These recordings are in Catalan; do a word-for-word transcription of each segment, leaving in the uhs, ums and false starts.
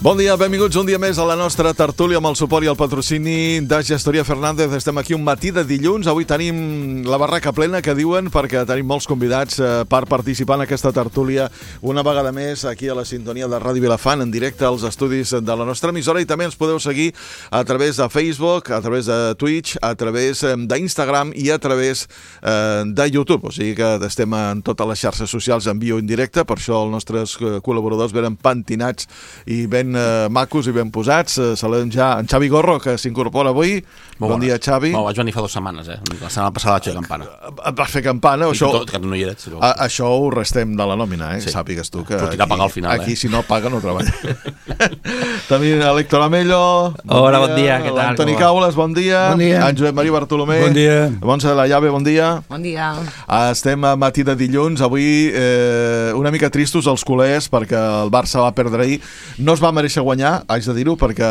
Bon dia, benvinguts un dia més a la nostra tertúlia amb el suport i el patrocini de Gestoria Fernández. Estem aquí un matí de dilluns. Avui tenim la barraca plena, que diuen, perquè tenim molts convidats eh, per participar en aquesta tertúlia una vegada més aquí a la sintonia de Ràdio Vilafant, en directe als estudis de la nostra emissora, i també ens podeu seguir a través de Facebook, a través de Twitch, a través eh, d'Instagram i a través eh, de YouTube. O sigui que estem en totes les xarxes socials en viu indirecte, per això els nostres col·laboradors venen pentinats i ben eh, macos i ben posats. Eh, saludem ja en Xavi Gorro, que s'incorpora avui. Molt bon bona. Dia, Xavi. Molt, vaig venir fa dues setmanes, eh? La setmana passada vaig fer campana. Vas fer campana? I això, tot, que no hi eres. Però... A, això ho restem de la nòmina, eh? Sí. Sàpigues tu que aquí, pagar al final, aquí eh? si no paga no treballa. També l'Héctor Amello. Bon Hola, dia. Bon dia, què tal? L'Antoni Caules, bon dia. Bon dia. En Josep Maria Bartolomé. Bon dia. Montse de la Llave, bon dia. Bon dia. Estem a matí de dilluns. Avui eh, una mica tristos els culers perquè el Barça va perdre ahir. No es va mereixer guanyar, haig de dir-ho, perquè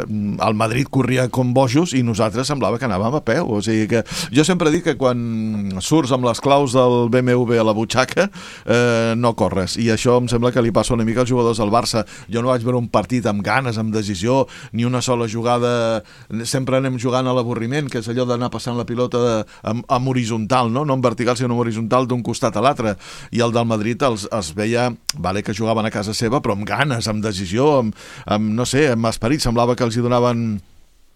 el Madrid corria com bojos i nosaltres semblava que anàvem a peu. O sigui que jo sempre dic que quan surts amb les claus del B M W a la butxaca eh, no corres, i això em sembla que li passa una mica als jugadors del Barça. Jo no vaig veure un partit amb ganes, amb decisió, ni una sola jugada. Sempre anem jugant a l'avorriment, que és allò d'anar passant la pilota de, amb, amb horitzontal, no? No en vertical sinó en horitzontal d'un costat a l'altre, i el del Madrid els, els veia, vale, que jugaven a casa seva, però amb ganes, amb decisió, amb, amb no sé, amb esperit. Semblava que els hi donaven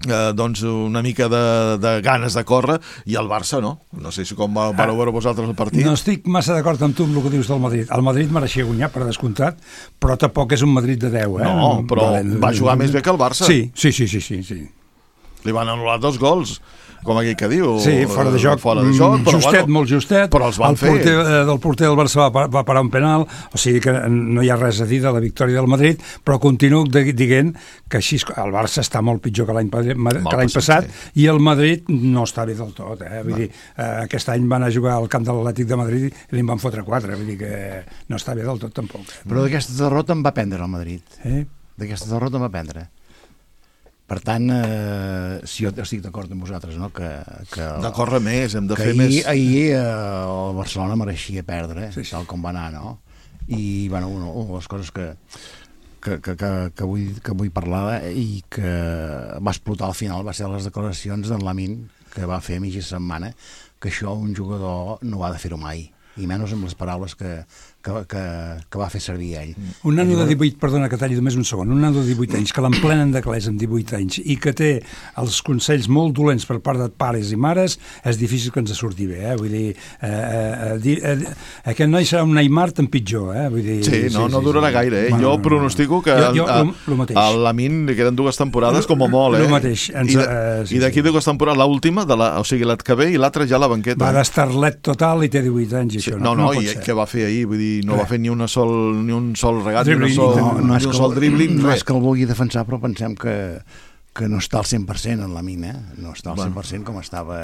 Eh, doncs una mica de, de ganes de córrer, i el Barça no. No sé si com va, vareu veure vosaltres el partit. No estic massa d'acord amb tu amb el que dius del Madrid. El Madrid mereixia guanyar, per descomptat, però tampoc és un Madrid de deu, eh? No, però vale, va jugar més bé que el Barça. Sí, sí, sí, sí, sí, sí. Li van anul·lar dos gols, com aquell que diu. Sí, fora de joc, fora de joc però, justet, bueno, molt justet. Però els van el fer. Porter, eh, del porter del Barça va, va parar un penal, o sigui que no hi ha res a dir de la victòria del Madrid, però continuo dient que així el Barça està molt pitjor que l'any passat, sí. I el Madrid no està bé del tot, eh? Vull no. dir, eh, aquest any van a jugar al camp de l'Atlètic de Madrid i li en van fotre quatre, vull dir que no està bé del tot tampoc. Però d'aquesta derrota en va prendre el Madrid. Eh? D'aquesta derrota en va prendre. Per tant, eh, si jo estic d'acord amb vosaltres, no? que, que de córrer més, hem de fer ahir, més. Ahir eh, el Barcelona mereixia perdre, sí, sí. Tal com va anar, no? I, bueno, una, una de les coses que, que, que, que, que, vull, que vull parlar i que va explotar al final va ser les declaracions d'en Lamine, que va fer a mitja setmana, que això un jugador no ha de fer-ho mai, i menys amb les paraules que, que, que, que va fer servir ell. Un nano de divuit, perdona que talli només un segon, un nano de divuit anys, que l'emplenen d'anglès amb divuit anys i que té els consells molt dolents per part de pares i mares, és difícil que ens surti bé, eh? Vull dir, eh, eh, eh, aquest noi serà un Neymar tan pitjor, eh? Vull dir, sí, no, sí, no sí, durarà sí. gaire, eh? Bueno, jo pronostico que jo, jo, a, lo, lo a Lamine li queden dues temporades com a molt, eh? Lo mateix. Ens, I, de, eh, sí, i d'aquí sí. dues temporades, l'última, de la, o sigui, la que ve i l'altra ja a la banqueta. Va d'estarlet total i té divuit anys, i sí, això no, no, no, no i què va fer ahir? Vull dir, no va fer ni una sol, ni un sol regat, Dribling, ni, sol, no, no ni un sol dribbling, no res. és que el vulgui defensar, però pensem que, que no està al cent per cent en la mina, eh? No està al cent per cent com estava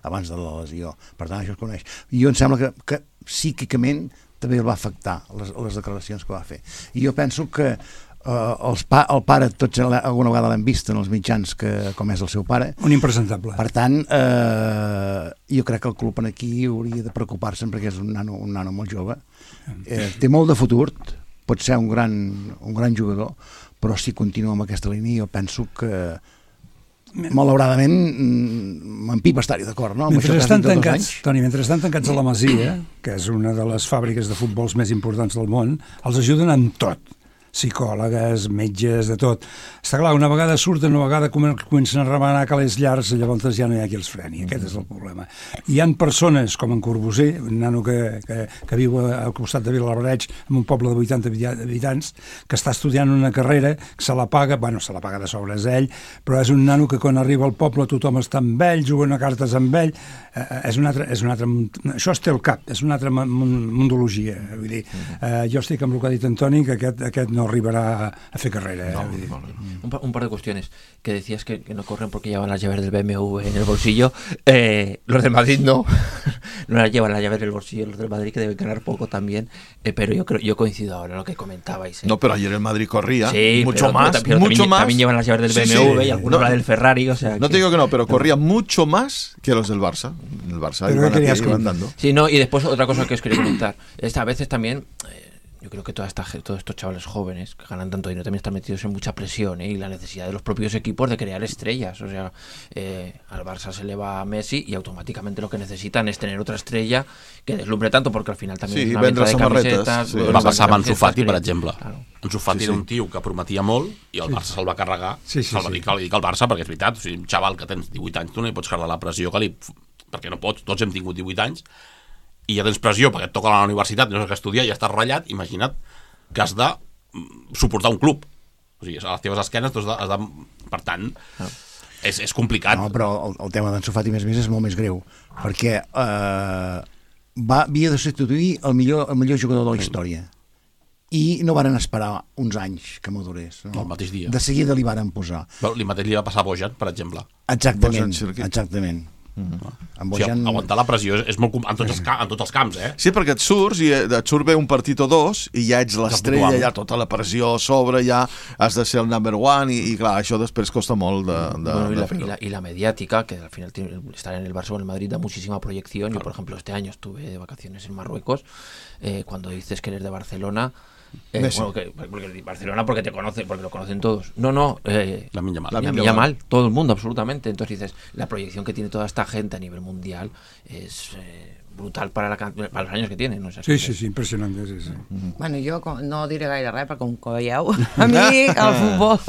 abans de la lesió. Per tant, això es coneix. I jo em sembla que, que psíquicament també el va afectar les, les declaracions que va fer. I jo penso que Uh, els pa, el pare, tots alguna vegada l'hem vist en els mitjans, que, com és el seu pare. Un impresentable. Per tant, uh, jo crec que el club aquí hauria de preocupar-se'n, perquè és un nano, un nano molt jove. Eh, té molt de futur, pot ser un gran, un gran jugador, però si continua amb aquesta línia jo penso que malauradament m'empipa estar-hi d'acord, no? Mentre estan tancats, Toni, mentre estan tancats a la Masia, que és una de les fàbriques de futbols més importants del món, els ajuden en tot. Psicòlogues, metges, de tot. Està clar, una vegada surten, una vegada comencen a remenar calés llargs, llavors ja no hi ha qui els freni. Aquest és el problema. Hi han persones, com en Corbusser, un nano que, que, que viu al costat de Vilabraig, en un poble de vuitanta habitants, que està estudiant una carrera, que se la paga, bueno, se la paga de sobres ell, però és un nano que quan arriba al poble tothom està amb ell, juguen a cartes amb ell, eh, és un altre, és un altre, això es té al cap, és una altra mundologia. Vull dir, eh, jo estic amb el que ha dit Antoni, que aquest, aquest no arribará a hacer carrera. No, ¿eh? no, no. Un, par, un par de cuestiones. Que decías que, que no corren porque llevan las llaves del B M W en el bolsillo. Eh, los del Madrid no. No las llevan las llaves del bolsillo. Los del Madrid, que deben ganar poco también. Eh, pero yo creo, yo coincido ahora en lo que comentabais. ¿eh? No, pero ayer el Madrid corría sí, mucho pero, más. Pero, pero mucho también, más. También llevan las llaves del sí, B M W sí. y algunos no, la del Ferrari. O sea, no que, te digo que no, pero corría mucho más que los del Barça. El Barça pero iban, querías aquí, iban dando. Sí, no, y después otra cosa que os quería comentar. Esta, a veces también... Eh, yo creo que toda esta, todos estos chavales jóvenes que ganan tanto dinero también están metidos en mucha presión, ¿eh? Y la necesidad de los propios equipos de crear estrellas. O sea, eh, al Barça se le va a Messi y automáticamente lo que necesitan es tener otra estrella que deslumbre tanto, porque al final también sí, es una venta de camisetas. Sí, va passar amb Ansu Fati, per que... exemple. Claro. Ansu Fati Sí, era sí. un tio que prometia molt i el Barça se'l va carregar. Sí, sí, se'l va sí. dir que li dic al Barça, perquè és veritat, o sigui, un xaval que tens divuit anys, tu no hi pots carregar la pressió que li... perquè no pots, tots hem tingut divuit anys, i ja tens pressió perquè et toca a la universitat, no saps què estudiar, i ja estàs ratllat, imagina't que has de suportar un club. O sigui, a les teves esquenes tu has de... Has de per tant, ah. és, és complicat. No, però el, el tema d'Ansu Fati més més és molt més greu, perquè eh, va, havia de substituir el millor, el millor jugador de la història. I no varen esperar uns anys que madurés. No? El mateix dia. De seguida li varen posar. Però li mateix li va passar a Bojan, per exemple. Exactament, Bojan, exactament. Mm-hmm. En Bojan... o sigui, aguantar la pressió és, és molt en tots, els, en tots els camps, eh? Sí, perquè et surts i et surt bé un partit o dos i ja ets l'estrella, ja tota la pressió a sobre, ja has de ser el number one i, i clar, això després costa molt de, de, bueno, y, de la, fer-ho. y, la, y la mediática, que al final tiene, estar en el Barça o en el Madrid da muchísima proyección. Yo, por ejemplo, este año estuve de vacaciones en Marruecos. Eh, cuando dices que eres de Barcelona, eh, bueno, que, porque Barcelona porque te conoce, porque lo conocen todos. No, no, eh, Lamine Yamal. Lamine Yamal, todo el mundo, absolutamente. Entonces dices, la proyección que tiene toda esta gente a nivel mundial es eh, brutal para, la, para los años que tiene, ¿no? Sí, sí, sí, impressionant. Sí, sí. Mm-hmm. Bueno, jo no diré gaire res, perquè com que veieu, a mi el futbol...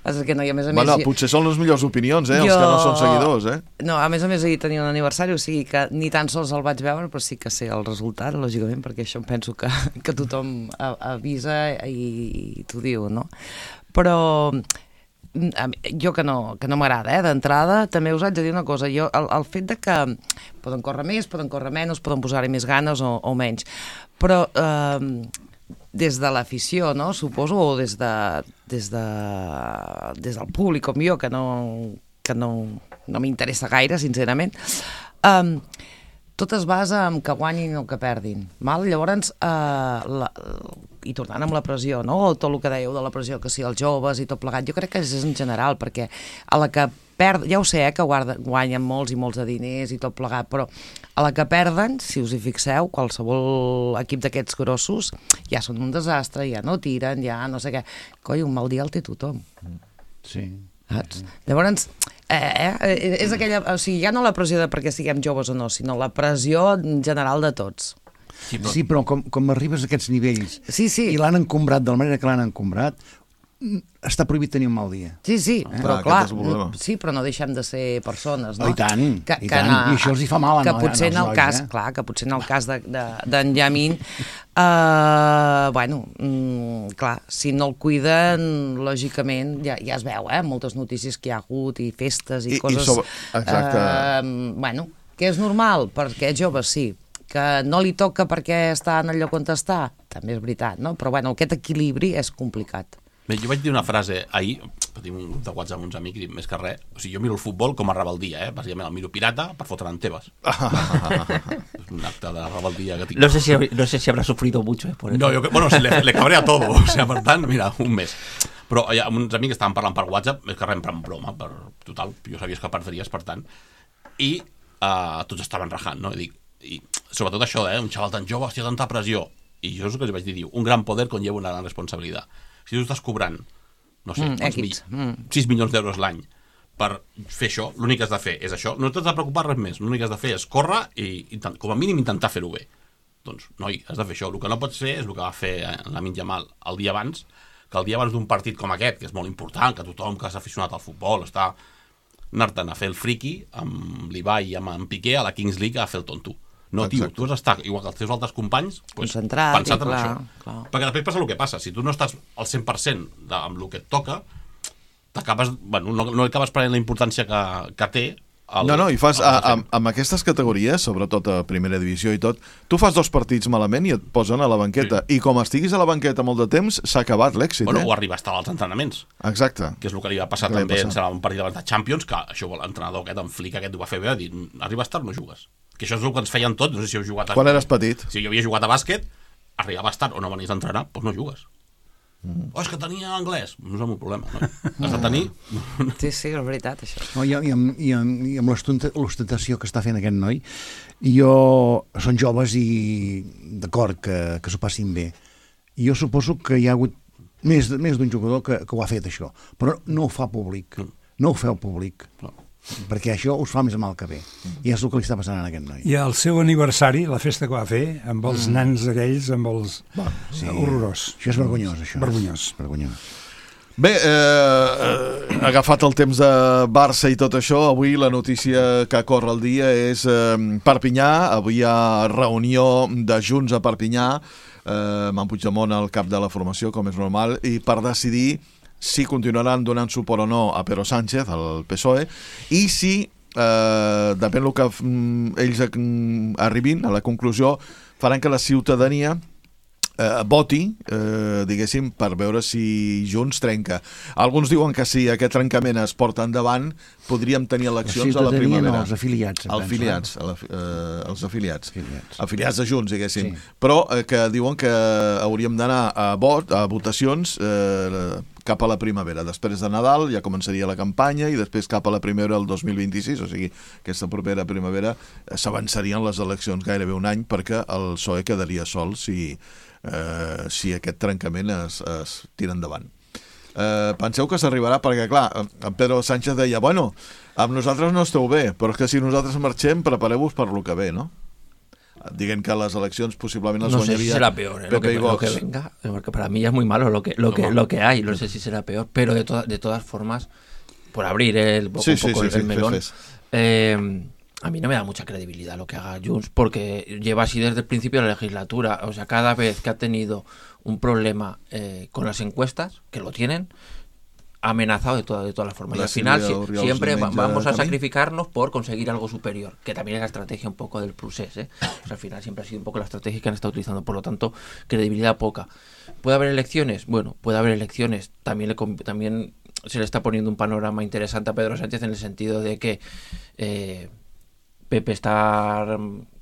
Passa que no, i a més a més... Bueno, potser són les millors opinions, eh? Jo... Els que no són seguidors, eh? No, a més a més ahir tenia un aniversari, o sigui que ni tan sols el vaig veure, però sí que sé el resultat, lògicament, perquè això em penso que, que tothom avisa i, i t'ho diu, no? Però... jo que no, que no m'agrada, eh, d'entrada, també us haig de dir una cosa, jo, el, el fet de que poden córrer més, poden córrer menys, poden posar-hi més ganes o, o menys, però eh, des de l'afició, no, suposo, o des, de, des, de, des del públic com jo, que no, que no, no m'interessa gaire, sincerament, eh, tot es basa en que guanyin o que perdin. Mal? Llavors, eh, la, i tornant amb la pressió, no? Tot el que dèieu de la pressió, que si els joves i tot plegat, jo crec que és en general, perquè a la que perd, ja ho sé, eh, que guarda, guanyen molts i molts de diners i tot plegat, però a la que perden, si us hi fixeu, qualsevol equip d'aquests grossos ja són un desastre, ja no tiren, ja no sé què. Coi, un mal dia el té tothom. Sí. Saps? Llavors, eh, eh, és aquella... O sigui, ja no la pressió de perquè siguem joves o no, sinó la pressió general de tots. Sí, però, sí, però com, com arribes a aquests nivells sí, sí. i l'han encombrat de la manera que l'han encombrat, està prohibit tenir un mal dia. Sí, sí, eh? però ah, clar, sí, però no deixem de ser persones, no? Oh, i tant, que, i que tant, na, i això els hi fa mal a, que potser en el nois, cas, eh? clar, que potser en el cas d'en de, de, Yamin, eh, bueno, mm, clar, si no el cuiden, lògicament, ja, ja es veu, eh, moltes notícies que hi ha hagut i festes i, I coses... I sobre... Exacte. Eh, bueno, que és normal, perquè és jove, sí, que no li toca perquè està en el lloc on està, també és veritat, no? Però bueno, aquest equilibri és complicat. Bé, jo vaig dir una frase ahir, tinc un grup de WhatsApp amb uns amics, i més que res, o sigui, jo miro el futbol com a rebeldia, eh? Bàsicament el miro pirata per fotre'n en Tebas. És un acte de rebeldia que tinc. No sé si, no sé si habrá sufrido mucho, eh, por eso. No, jo, bueno, se le, le cabrea todo, o sigui, per tant, mira, un mes. Però ja, amb uns amics estaven parlant per WhatsApp, més que res en broma, per total, jo sabies que perdries, per tant, i uh, tots estaven rajant, no? I dic, i sobretot això, eh? Un xaval tan jove, hòstia, tanta pressió. I jo és el que els vaig dir, diu, un gran poder conlleva una gran responsabilitat. Si tu estàs cobrant, no sé, mm, equips, mi, sis milions d'euros l'any per fer això, l'únic que has de fer és això, no t'has de preocupar res més, l'únic que has de fer és córrer i, i com a mínim intentar fer-ho bé. Doncs, noi, has de fer això. El que no pots fer és el que va fer Lamine Yamal el dia abans, que el dia abans d'un partit com aquest, que és molt important, que tothom que s'ha aficionat al futbol està anar-te'n a fer el friqui amb l'Ibai i amb en Piqué a la Kings League a fer el tonto. No, tio, tu has d'estar, igual que els teus altres companys, pues, concentrat, pensat en clar, això. clar. Perquè després passa el que passa. Si tu no estàs al cent per cent de, amb el que et toca, t'acabes, bueno, no, no acabes prenent la importància que, que té. El, no, no, i fas, a, a, amb aquestes categories, sobretot a primera divisió i tot, tu fas dos partits malament i et posen a la banqueta. Sí. I com estiguis a la banqueta molt de temps, s'ha acabat l'èxit. Bueno, eh? o arriba a estar als entrenaments. Exacte. Que és el que li va passar que també passar. en un partit abans de Champions, que això l'entrenador aquest, en Flick aquest, ho va fer bé, va dir, arriba a estar, no jugues. Que això és el que ens feien tots, no sé si heu jugat a... Quan eres petit. Si jo havia jugat a bàsquet, arribava a estar o no venies a entrenar, doncs no jugues. Mm. Oh, és que tenia anglès. No és el meu problema, no? Has de tenir... Sí, sí, és veritat, això. No, i, i amb, i amb, i amb l'ostentació que està fent aquest noi, jo són joves i d'acord que, que s'ho passin bé, I jo suposo que hi ha hagut més, més d'un jugador que, que ho ha fet, això. Però no ho fa públic. No ho feu públic. No. Perquè això us fa més mal que bé. I és el que li està passant a aquest noi. I el seu aniversari, la festa que va fer, amb els mm. nans aquells, amb els... Bon, sí. Horrorós. Això és vergonyós, això. Vergonyós. Vergonyós. Bé, eh, agafat el temps de Barça i tot això, avui la notícia que corre el dia és eh, Perpinyà. Avui hi ha reunió de Junts a Perpinyà, eh, amb en Puigdemont al cap de la formació, com és normal, i per decidir si continuaran donant suport o no a Pedro Sánchez, al P S O E, i si, eh, depèn del que mm, ells mm, arribin a la conclusió, faran que la ciutadania eh, voti, eh, diguéssim, per veure si Junts trenca. Alguns diuen que si aquest trencament es porta endavant, podríem tenir eleccions a la primavera. No, els afiliats. Els afiliats, a la, eh, els afiliats. afiliats. Afiliats de Junts, diguéssim. Sí. Però eh, que diuen que hauríem d'anar a vot, a votacions eh, cap a la primavera. Després de Nadal ja començaria la campanya i després cap a la primavera del dos mil vint-i-sis, o sigui, aquesta propera primavera s'avançarien les eleccions gairebé un any perquè el P S O E quedaria sol si, eh, si aquest trencament es, es tira endavant. Eh, penseu que s'arribarà perquè, clar, en Pedro Sánchez deia, bueno, amb nosaltres no esteu bé, però és que si nosaltres marxem, prepareu-vos per lo que ve, no? Dicen que las elecciones posiblemente las no sé guanyaria si será peor ¿eh? lo, que, lo que venga, porque para mí ya es muy malo lo que lo que, lo que hay, no sé si será peor, pero de, to de todas formas, por abrir el, poco, sí, un poco sí, el, sí, el melón, sí, sí. Eh, a mí no me da mucha credibilidad lo que haga Junts, porque lleva así desde el principio de la legislatura, o sea, cada vez que ha tenido un problema eh, con las encuestas, que lo tienen, ha amenazado de todas de todas las formas. La y al final si, siempre va, vamos a sacrificarnos por conseguir algo superior, que también es la estrategia un poco del procés, ¿eh? O sea, al final siempre ha sido un poco la estrategia que han estado utilizando, por lo tanto, credibilidad poca. ¿Puede haber elecciones? Bueno, puede haber elecciones. También, le, también se le está poniendo un panorama interesante a Pedro Sánchez en el sentido de que eh, Pepe está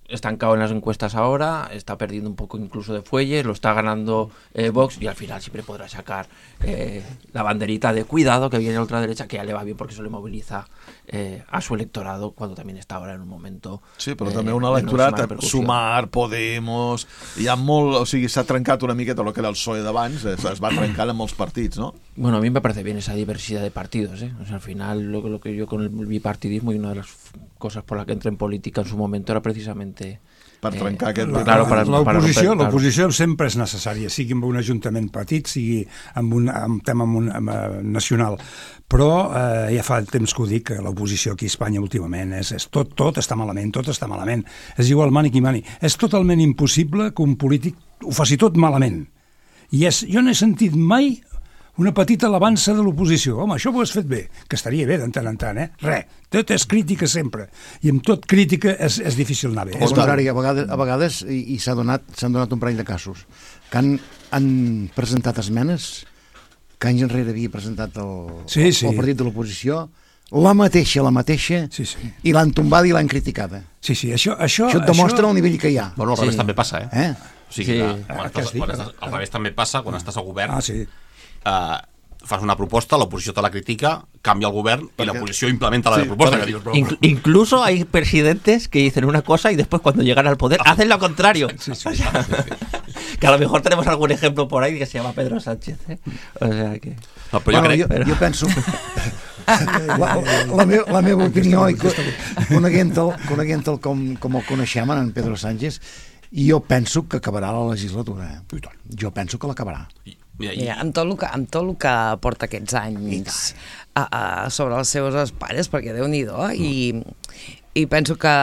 estancado en las encuestas ahora, está perdiendo un poco incluso de fuelle, lo está ganando eh, Vox y al final siempre podrá sacar eh, la banderita de cuidado que viene a la ultraderecha, que ya le va bien porque eso le moviliza eh, a su electorado cuando també està ahora en un momento... Sí, però eh, també un electorat, no Sumar, Podemos... Hi ha molt... O sigui, s'ha trencat una miqueta el que era el P S O E d'abans, es, es va trencant en molts partits, ¿no? Bueno, a mí me parece bien esa diversidad de partidos, ¿eh? O sea, al final lo, lo que yo con el bipartidismo y una de las cosas por las que entré en política en su momento era precisamente... per trencar eh, aquest... Claro, l'oposició l'oposició sempre és necessària, sigui amb un ajuntament petit, sigui amb un, amb tema amb un, amb, uh, nacional, però eh, ja fa temps que ho dic, que l'oposició aquí a Espanya últimament és, és tot, tot està malament, tot està malament, és igual mani qui mani, és totalment impossible que un polític ho faci tot malament, i és, jo no he sentit mai una petita alabança de l'oposició. Home, això ho has fet bé, que estaria bé de tant en tant, eh? Res, tot és crítica sempre, i amb tot crítica és, és difícil anar bé. Al contrari, a vegades, a vegades i, i s'ha donat, s'han donat un parell de casos, que han, han presentat esmenes que anys enrere havia presentat el, sí, sí. el partit de l'oposició, la mateixa, la mateixa, sí, sí. i l'han tombada i l'han criticada. Sí, sí, això... Això, això et demostra això... el nivell que hi ha. Bueno, al revés sí. també passa, eh? eh? O sigui, sí. que, quan estàs, quan estàs, al revés també passa quan estàs al govern. Ah, sí. Uh, fas una proposta, l'oposició te la critica, canvia el govern i l'oposició implementa la sí, proposta. Que dius, però... Inclu incluso hay presidentes que dicen una cosa y después cuando llegan al poder hacen lo contrario. Sí, sí, sí, sí, sí. Que a lo mejor tenemos algún ejemplo por ahí que se llama Pedro Sánchez, ¿eh? O sea que... No, però bueno, jo, crec... jo, jo penso... la, la, meva, la meva opinió, i coneguent-el coneguent com, com el coneixem, en Pedro Sánchez, i jo penso que acabarà la legislatura. Eh? Jo penso que l'acabarà. Mira, i... amb, tot el que, amb tot el que porta aquests anys a, a, sobre les seves espatlles, perquè Déu-n'hi-do, mm. i, i penso que,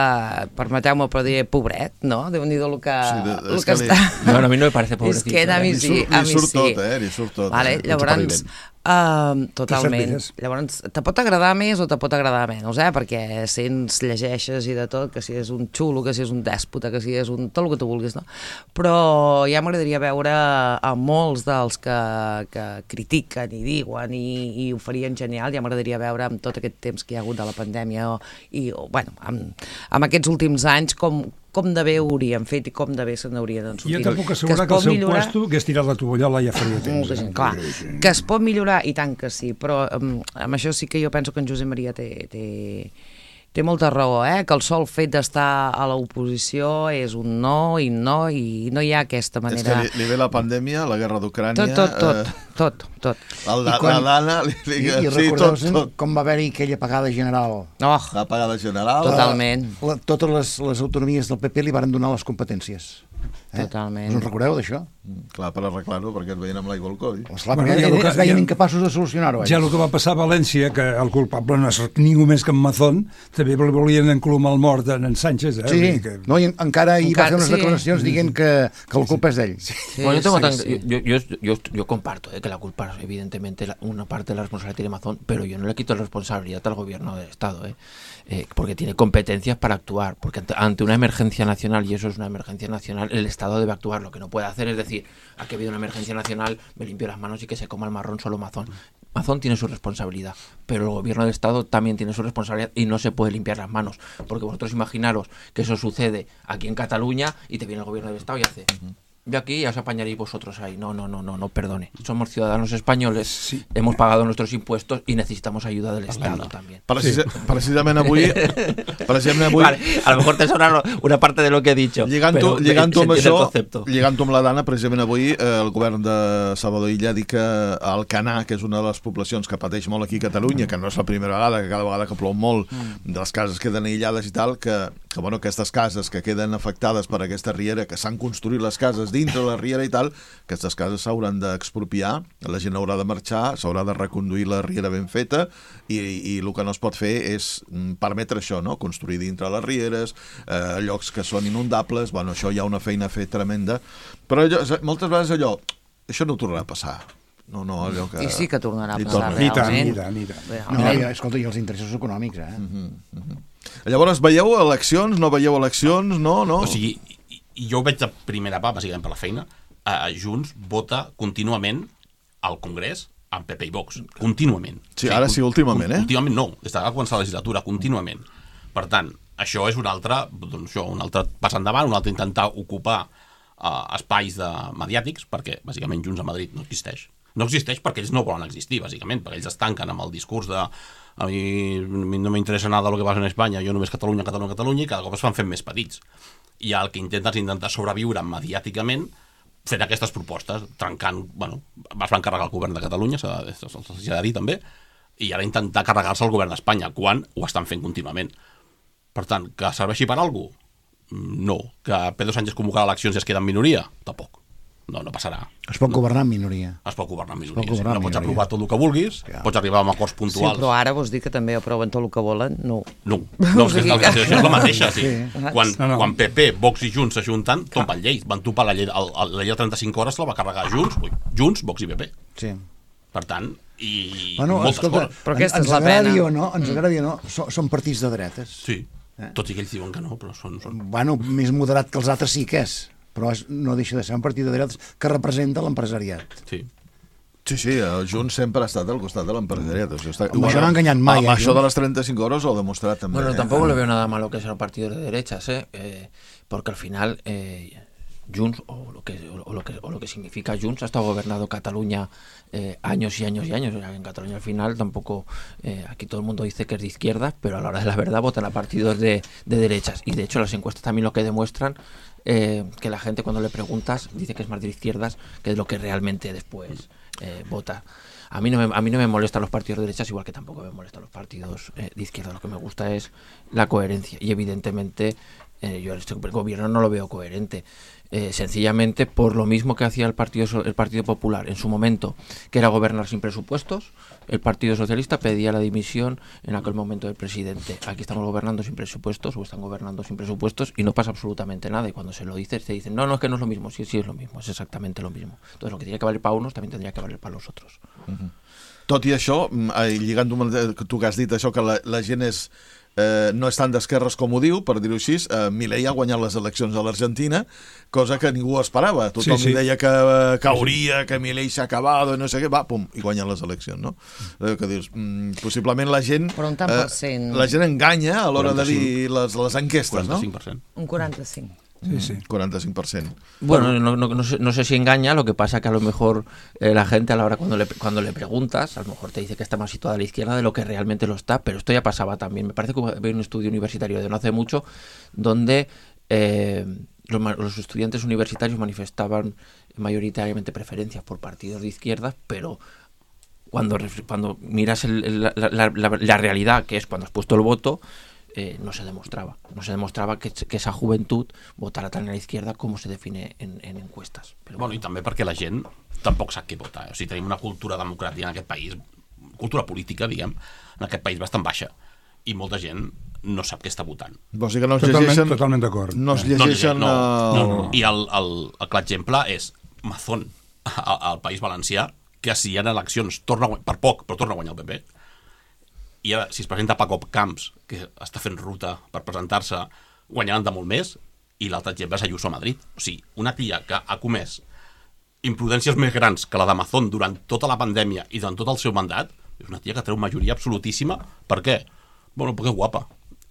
permeteu-me, però diré pobret, no? Déu-n'hi-do el que, sí, de, el que, que està... No, a mi no me parece pobrecito. És que a mi sí, a mi sí. Li surt tot, eh? Li surt tot. Vale, llavors... Uh, totalment. Llavors, te pot agradar més o te pot agradar menys, eh? Perquè sents, llegeixes i de tot, que si és un xulo, que si és un dèspota, que si és un... tot el que tu vulguis, no? Però ja m'agradaria veure a molts dels que, que critiquen i diuen i, i ho farien genial, ja m'agradaria veure amb tot aquest temps que hi ha hagut de la pandèmia o, i, o, bueno, amb, amb aquests últims anys com com de bé ho hauríem fet i com de bé se n'haurien sortit. Jo tampoc assegurar que, que el seu millorar... puesto hagués tirat la tovallola ja faria temps. Eh? Clar, que es pot millorar, i tant que sí, però um, amb això sí que jo penso que en Josep Maria té, té, Té molta raó, eh? Que el sol fet d'estar a l'oposició és un no i no, i no hi ha aquesta manera... És que li, li ve la pandèmia, la guerra d'Ucrània... Tot, tot, tot, eh... tot, tot. El, la, quan... la Dana... Li, li... I, i sí, recordeu tot, tot. com va haver-hi aquella pagada general? Oh, La pagada general... totalment. La, totes les, les autonomies del P P li varen donar les competències. Eh? Totalment. Us en recordeu d'això? Mm, clar, per arreglar-ho, perquè et veien amb l'aigua al coll. Esclar, Bueno, perquè ja lo que- es veien ja- incapaços de solucionar-ho. Ja el que va passar a València, que el culpable no és ningú més que en Mazón, també li volien enclumar el mort en, en Sánchez. Eh? Sí, Vull dir que... no, i encara hi va Encara- fer unes sí. declaracions dient que, que la culpa és d'ell. Sí, Bueno, yo, tengo sí, tan- sí. Yo, yo, yo, yo comparto eh, que la culpa, evidentemente, la- una parte de la responsabilidad tiene Amazon, pero yo no le quito la responsabilidad al gobierno del Estado, eh, eh, porque tiene competencias para actuar, porque ante, ante una emergencia nacional, y eso es una emergencia nacional, el Estado debe actuar. Lo que no puede hacer es decir, aquí ha habido una emergencia nacional, me limpio las manos y que se coma el marrón solo Amazon. Amazon tiene su responsabilidad, pero el gobierno del Estado también tiene su responsabilidad y no se puede limpiar las manos, porque vosotros imaginaros que eso sucede aquí en Cataluña y te viene el gobierno del Estado y hace... Yo aquí ya os apañaréis vosotros ahí. No, no, no, no, no, perdone. Somos ciudadanos españoles, Sí. hemos pagado nuestros impuestos y necesitamos ayuda del Estado también. Precisa, precisament avui... precisament avui... Vale, a lo mejor te sonará una parte de lo que he dicho. Lligant-ho pero lligant se amb entiende això, el concepto. lligant-ho amb la Dana, precisament avui eh, el govern de Salvador Illa ha dit que Alcanar, que és una de les poblacions que pateix molt aquí a Catalunya, que no és la primera vegada, que cada vegada que plou molt, de les cases queden aïllades i tal, que, que bueno, aquestes cases que queden afectades per aquesta riera, que s'han construït les cases dintre la riera i tal, aquestes cases s'hauran d'expropiar, la gent haurà de marxar, s'haurà de reconduir la riera ben feta, i, i el que no es pot fer és mm, permetre això, no? Construir dintre les rieres, eh, llocs que són inundables, bueno, això hi ha una feina a fer tremenda, però allò, moltes vegades allò, això no tornarà a passar. No, no, allò que... I sí que tornarà a Li passar, torna. I tant, realment. i tant, i tant. No, Realment. i, escolta, i els interessos econòmics, eh? Llavors, veieu eleccions, no veieu eleccions, no, no? O sigui, i- i jo ho veig de primera part, bàsicament per la feina, eh, Junts vota contínuament al Congrés amb P P i Vox, contínuament. Sí, ara sí, últimament, eh? Últimament no, des de que va començar la legislatura, contínuament. Per tant, això és un altre, doncs això, un altre pas endavant, un altre intentar ocupar uh, espais de, mediàtics, perquè bàsicament Junts a Madrid no existeix. No existeix perquè ells no volen existir, bàsicament, perquè ells es tanquen amb el discurs de a mi no m'interessa nada lo que passa en Espanya, jo només Catalunya, Catalunya, Catalunya, i cada cop es van fent més petits. I el que intenten és intentar sobreviure mediàticament fent aquestes propostes, trencant, bueno, es van carregar el govern de Catalunya, s'ha de, s'ha de dir també, i ara intentar carregar-se el govern d'Espanya, quan ho estan fent contínuament. Per tant, que serveixi per alguna cosa? No. Que Pedro Sánchez convocarà eleccions i es queda en minoria? Tampoc. No, no passarà. Es pot governar en minoria. Es pot governar en pot minoria. Sí. governar No en pots minoria. aprovar tot el que vulguis, Clar. pots arribar a acords Sí, puntuals. però ara vols dir que també aproven tot el que volen? No. No, no, és que O sigui la situació és la mateixa. Sí. Sí. Quan, No, no. quan P P, Vox i Junts s'ajunten, tomben lleis. Van topar la llei, el, el, la llei de trenta-cinc hores, la va carregar Junts, ui, Junts, Vox i P P. Sí. Per tant, i Bueno, moltes escolta, coses. Però aquesta ens és la agradi pena. o no, ens agradi o no, són, són partits de dretes. Sí, Eh? tot i que ells diuen que no, però són... són... Bueno, més moderat que els altres sí que és, però és, no deixa de ser un partit de dretes que representa l'empresariat. Sí. Sí, sí, el Junts sempre ha estat al costat de l'empresariat. O sigui, està... Amb això no ha enganyat mai, Amb eh, això Junts? de les trenta-cinc hores ho ha demostrat també. Bueno, eh? tampoco le veo nada malo que sean partidos de derechas, ¿eh? Eh, porque al final eh, Junts, o lo, que, o, lo que, o lo que significa Junts, ha estado gobernando Cataluña eh, años y años y años. O sea, en Cataluña al final tampoco, eh, aquí todo el mundo dice que es de izquierdas, pero a la hora de la verdad votan a partidos de, de derechas. Y de hecho las encuestas también lo que demuestran, eh, que la gente cuando le preguntas dice que es más de izquierdas que es lo que realmente después eh, vota. A mí, no me, a mí no me molestan los partidos de derechas, igual que tampoco me molestan los partidos eh, de izquierda. Lo que me gusta es la coherencia. Y evidentemente eh, yo este gobierno no lo veo coherente. Eh, sencillamente por lo mismo que hacía el Partido, So- el Partido Popular en su momento, que era gobernar sin presupuestos. El Partido Socialista pedía la dimisión en aquel momento del presidente. Aquí estamos gobernando sin presupuestos, o están gobernando sin presupuestos, y no pasa absolutamente nada. Y cuando se lo dices, te dicen, no, no, es que no es lo mismo. Sí, sí es lo mismo, es exactamente lo mismo. Entonces lo que tiene que valer para unos también tendría que valer para los otros. Tot i això, mm, eh, lligant-ho amb el que tu que has dit, això que la, la gent és, eh, no és tan d'esquerres com ho diu, per dir-ho així, eh, Milei ha guanyat les eleccions a l'Argentina, cosa que ningú esperava. Tothom Sí, sí. deia que eh, cauria, que Milei s'ha acabat, no sé què, va, pum, i guanyen les eleccions, no? Eh, que dius, mm, possiblement la gent... Però un tant per cent. la gent enganya a l'hora de quaranta-cinc. dir les, les enquestes, no? quaranta-cinc per cent. Un quaranta-cinc. Sí, sí. quaranta-cinc per cent. Bueno, no, no, no, sé, no sé si engaña, lo que pasa que a lo mejor eh, la gente a la hora cuando le, cuando le preguntas, a lo mejor te dice que está más situada a la izquierda de lo que realmente lo está, pero esto ya pasaba también. Me parece que había un estudio universitario de no hace mucho donde eh, los, los estudiantes universitarios manifestaban mayoritariamente preferencias por partidos de izquierda, pero cuando, cuando miras el, el, la, la, la, la realidad, que es cuando has puesto el voto, eh, no se demostraba. No se demostrava que, que esa juventud votara tant a la izquierda com se define en, en encuestes. Però bueno, bueno, i també perquè la gent tampoc sap què votar. O sigui, tenim una cultura democràtica en aquest país, cultura política, diguem, en aquest país bastant baixa. I molta gent no sap què està votant. O sigui que no es totalment, llegeixen... Totalment d'acord. No es llegeixen... No, no, no, no. Uh... I el, el, el clar exemple és Mazón, al País Valencià, que si hi ha eleccions, torna a guanyar, per poc, però torna a guanyar el P P. I ara, si es presenta Paco Camps, que està fent ruta per presentar-se, guanyaran de molt més, i l'altre exemple és Ayuso a Madrid. O sigui, una tia que ha comès imprudències més grans que la d'Amazon durant tota la pandèmia i durant tot el seu mandat, és una tia que treu majoria absolutíssima. Per què? Bueno, perquè és guapa.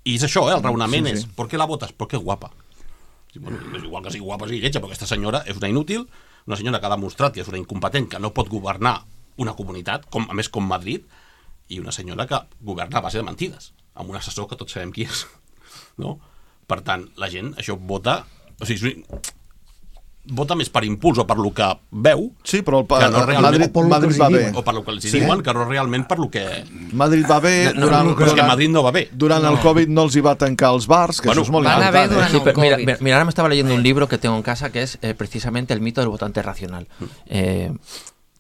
I és això, eh? El raonament sí, sí. és, ¿por qué la votas? Porque es guapa. Sí, bueno, és igual que sigui guapa o sigui lletja, però aquesta senyora és una inútil, una senyora que ha demostrat que és una incompetent, que no pot governar una comunitat, com, a més com Madrid, i una senyora que governa a base de mentides, amb un assessor que tots sabem qui és. No? Per tant, la gent, això vota... O sigui, vota més per impuls o per lo que veu, sí, però el, que no realment, Madrid, Madrid va bé. O per lo que els sí. diuen, que no realment per lo que... Madrid va bé... No, durant, no, durant, que Madrid no va bé. Durant no. el Covid no els hi va tancar els bars, que bueno, això és molt van important. Bé durant sí, el mira, COVID. mira, ahora me estaba leyendo un libro que tengo en casa que es eh, precisamente el mito del votante racional. Eh,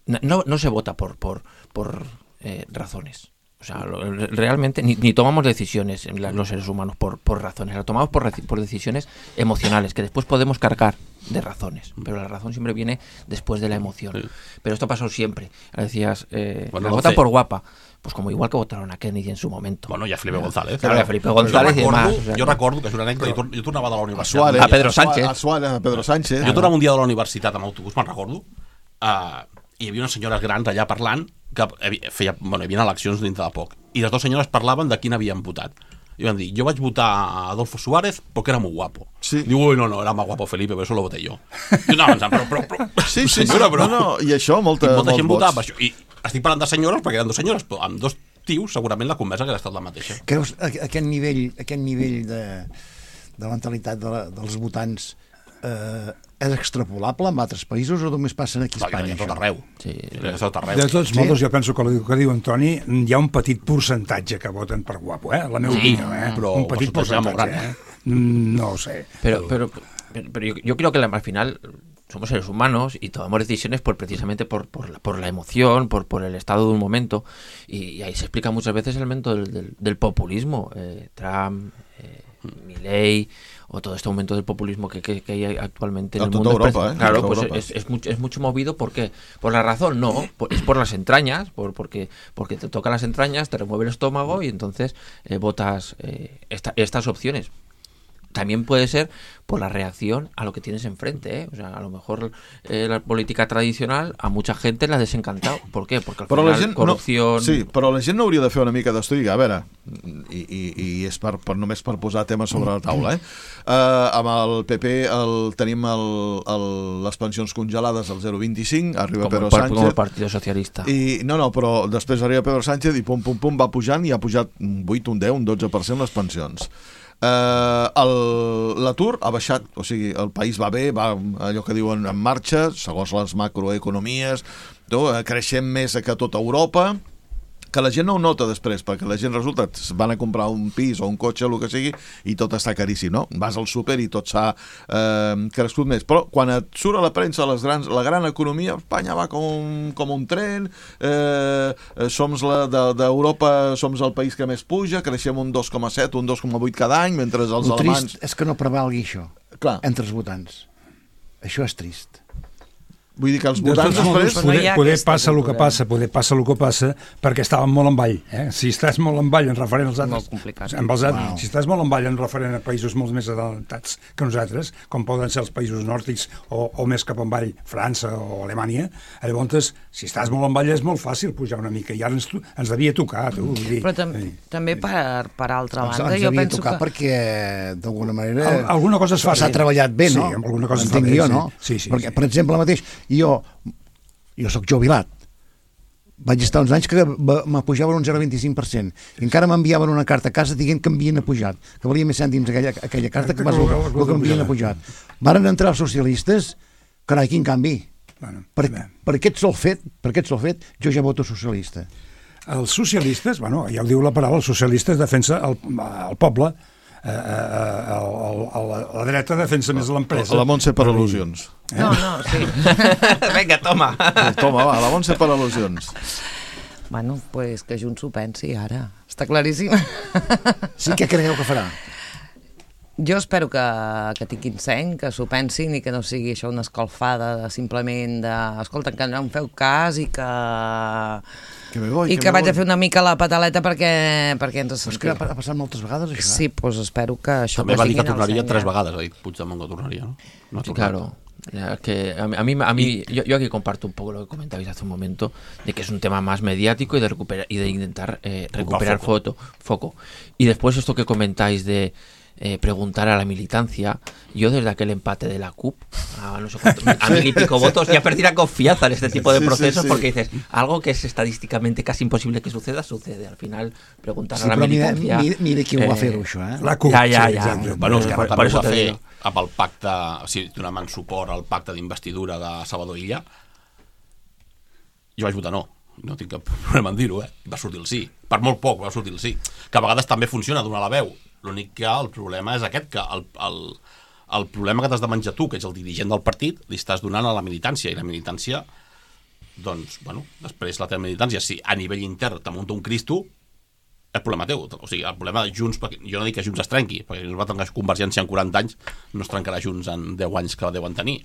no, no se vota por, por, por eh, razones. O sea, lo, realmente ni, ni tomamos decisiones los seres humanos por, por razones, lo tomamos por, por decisiones emocionales, que después podemos cargar de razones, pero la razón siempre viene después de la emoción. Sí. Pero esto pasó siempre. Decías, eh, bueno, la votan por guapa, pues como igual que votaron a Kennedy en su momento. Bueno, y a Felipe González. Claro, a Felipe González y demás. O sea, jo recordo que és una anècdota, jo, jo tornava de la universitat. A, Suárez, a Pedro Sánchez. A, Suárez, a Pedro Sánchez. Jo tornava un dia de la universitat amb autobús, me'n recordo, uh, i hi havia unes senyores grans allà parlant que feia, bueno, hi havia eleccions dintre de poc, i les dues senyores parlaven de quin havien votat. I van dir, jo vaig votar a Adolfo Suárez porque era muy guapo. Sí. Diu, uy, no, no, era más guapo Felipe, pero eso lo voté yo. I no, però, però, però, sí, sí, senyora, però... No, no, i això, molta, i molta gent vots. votava per això. I estic parlant de senyores, perquè eren dues senyores, però amb dos tios segurament la conversa hauria estat la mateixa. Creus aquest nivell, aquest nivell de, de mentalitat de la, dels votants eh, és extrapolable en altres països o només passen aquí a Espanya? De tot arreu. Sí. De tot arreu. De tots modos, sí? Jo penso que el que diu Antoni, hi ha un petit percentatge que voten per guapo, eh? La meva sí, opinió, eh? Però un petit percentatge, eh? No ho sé. Pero, pero, pero, pero yo, yo creo que al final somos seres humanos y tomamos decisiones por precisamente por, por, la, por la emoción, por, por el estado de un momento, y, y ahí se explica muchas veces el momento del, del, del populismo. Eh, Trump, eh, Milei, o todo este momento del populismo que, que, que hay actualmente en el mundo. Europa, ¿eh? Claro, pues Europa. Es, es, mucho, es mucho movido. ¿Por qué? Por la razón, no, por, es por las entrañas, por, porque, porque te tocan las entrañas, te remueve el estómago y entonces eh, votas eh, esta, estas opciones. También puede ser por la reacción a lo que tienes enfrente, ¿eh? O sea, a lo mejor eh, la política tradicional a mucha gente la ha desencantado. ¿Por qué? Porque al però final la gent corrupció... No, sí, però la gent no hauria de fer una mica d'estudi. A veure, i, i, i és per, per, només per posar temes sobre la taula, eh? Uh, amb el P P el, tenim el, el, les pensions congelades al zero coma vint-i-cinc, arriba com Pedro el, Sánchez... Com el Partido Socialista. I, no, no, però després arriba Pedro Sánchez i pum, pum, pum, va pujant i ha pujat un vuit, un deu, un dotze per cent les pensions. Uh, l'atur ha baixat, o sigui, el país va bé, va allò que diuen en marxa, segons les macroeconomies, no? Creixem més que tota Europa, que la gent no ho nota després, perquè la gent resulta van a comprar un pis o un cotxe, el que sigui, i tot està caríssim, no? Vas al súper i tot s'ha eh, crescut més. Però quan et surt a la premsa les grans, la gran economia, Espanya va com, com un tren, eh, som la d'Europa, de, som el país que més puja, creixem un dos coma set, un dos coma vuit cada any, mentre els el alemanys... trist és que no prevalgui això. Clar. Entre els votants. Això és trist. Vull dir que els De votants tots modos, després... no hi poder, ha poder aquesta passa el que cultura. passa, poder passa el que passa, perquè estàvem molt en ball. Eh? Si estàs molt en ball en referent als altres... Molt complicat. Amb els altres, Wow. Si estàs molt en ball en referent a països molt més adelantats que nosaltres, com poden ser els països nòrdics o, o més cap en ball, França o Alemanya, llavors, si estàs molt en ball és molt fàcil pujar una mica, i ara ens, ens devia tocar, tu. Vull dir, Però tam eh, també per, per altra Ens, banda, ens jo havia penso tocat que... perquè, d'alguna manera... Al- alguna cosa es fa S'ha bé. treballat bé, Sí, no? amb alguna cosa es fa Entenc bé, jo, sí. no? Sí, sí, perquè, sí. per exemple, mateix, jo, jo sóc jubilat, vaig estar uns anys que m'apujaven un zero coma vint-i-cinc per cent. I encara m'enviaven una carta a casa dient que m'havien apujat, que valia més cèntims aquella, aquella carta que, Que que, el- que, el- que m'havien apujat. Varen entrar els socialistes, carai, quin canvi. Bueno, Per, bé. per aquest sol fet, per aquest sol fet, jo ja voto socialista. Els socialistes, bueno, ja ho diu la paraula, els socialistes defensa el, el poble, eh, eh, el, el, la, la dreta defensa més l'empresa. La Montse per al·lusions. No, no, sí. Venga, toma. Toma, va, la Montse per al·lusions. Bueno, pues que Junts ho pensi ara. Està claríssim. Sí, què creieu que farà? Jo espero que, que tinguin seny, que s'ho pensin i que no sigui això una escalfada de, simplement de... Escolta, que no em feu cas i que... Que me voy, I que, me vaig voy. a fer una mica la pataleta perquè, perquè ens Però és que sentim. ha passat moltes vegades, això. Sí, doncs espero que això... També va dir que tinguin el tornaria seny, tres eh? vegades, ha dit Puigdemont que tornaria, ¿no? No ha Sí, tornat. claro. Ya, que a mí, a mí, a mí yo, yo aquí comparto un poco lo que comentabais hace un momento, de que es un tema más mediático y de recuperar y de intentar eh, recuperar foto, foco. Y después esto que comentáis de eh, preguntar a la militancia, yo desde aquel empate de la C U P a no sé cuántos, a mil y pico votos, ya perdí la confianza en este tipo de Sí, sí, procesos sí. porque dices, algo que es estadísticamente casi imposible que suceda, sucede. Al final, preguntar Sí, a la però mira, militancia... mira, mira qui ho va eh, fer, això, eh? La C U P, Ja, ja, sí, ja. exacte. Bueno, Eh, Esquerra per- per també ho això va te fer digo. amb el pacte, o sigui, donant suport al pacte d'investidura de Salvador Illa. Jo vaig votar no, no tinc cap problema en dir-ho, eh? Va sortir el sí, per molt poc va sortir el sí, que a vegades també funciona donar la veu. L'únic que el problema és aquest, que el, el, el problema que t'has de menjar tu, que ets el dirigent del partit, li estàs donant a la militància, i la militància, doncs, bueno, després la teva militància, si a nivell intern te munta un Cristo, és problema teu. O sigui, el problema de Junts, perquè jo no dic que Junts es trenqui, perquè no es va trencar Convergència en quaranta anys, no es trencarà Junts en deu anys que deuen tenir,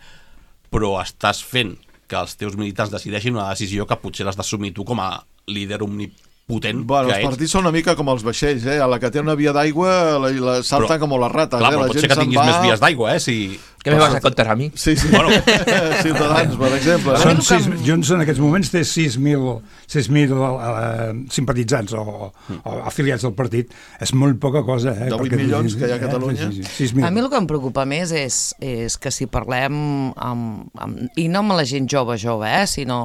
però estàs fent que els teus militants decideixin una decisió que potser l'has d'assumir tu com a líder omnipotent Bueno, que els ets. partits són una mica com els vaixells, eh? A la que té una via d'aigua la, la salten Però- com les rates, Clar, eh? però La pot ser gent que se'n tinguis va... més vies d'aigua, eh? Si... ¿Qué me vas a contar a mí? Sí, sí. Bueno. Ciutadans, per exemple. A mi Són el que sis, em- Junts en aquests moments té sis mil uh, simpatitzants o, o afiliats al partit. És molt poca cosa, eh? De vuit Perquè- milions que hi ha a Catalunya. Sí, sí, sí, sis mil. A mi el que em preocupa més és, és que si parlem amb, amb, i no amb la gent jove jove, eh, sinó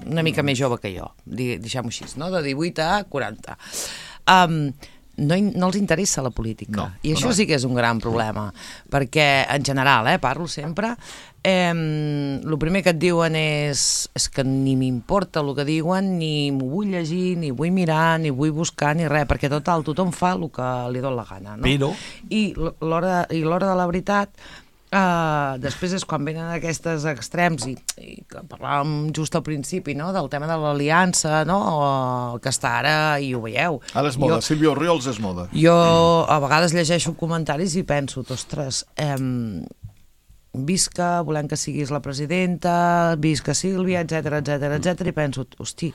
una mica més jove que jo, di- deixem-ho així, no? De divuit a quaranta. Um, no, in- no els interessa la política. No, I això no. sí que és un gran problema, perquè en general, eh, parlo sempre, eh, el primer que et diuen és, és que ni m'importa el que diuen, ni m'ho vull llegir, ni vull mirar, ni vull buscar, ni res, perquè total, tothom fa el que li dona la gana. No? Però- I l'hora i l'hora de la veritat, uh, després és quan venen aquests extrems, i, i que parlàvem just al principi, no?, del tema de l'aliança, no?, o, que està ara, i ho veieu. Ara és moda, Jo, Sílvia Orriols és moda. jo a vegades llegeixo comentaris i penso, ostres, eh, visca, volem que siguis la presidenta, visca Sílvia, etc etc etc, i penso, hosti,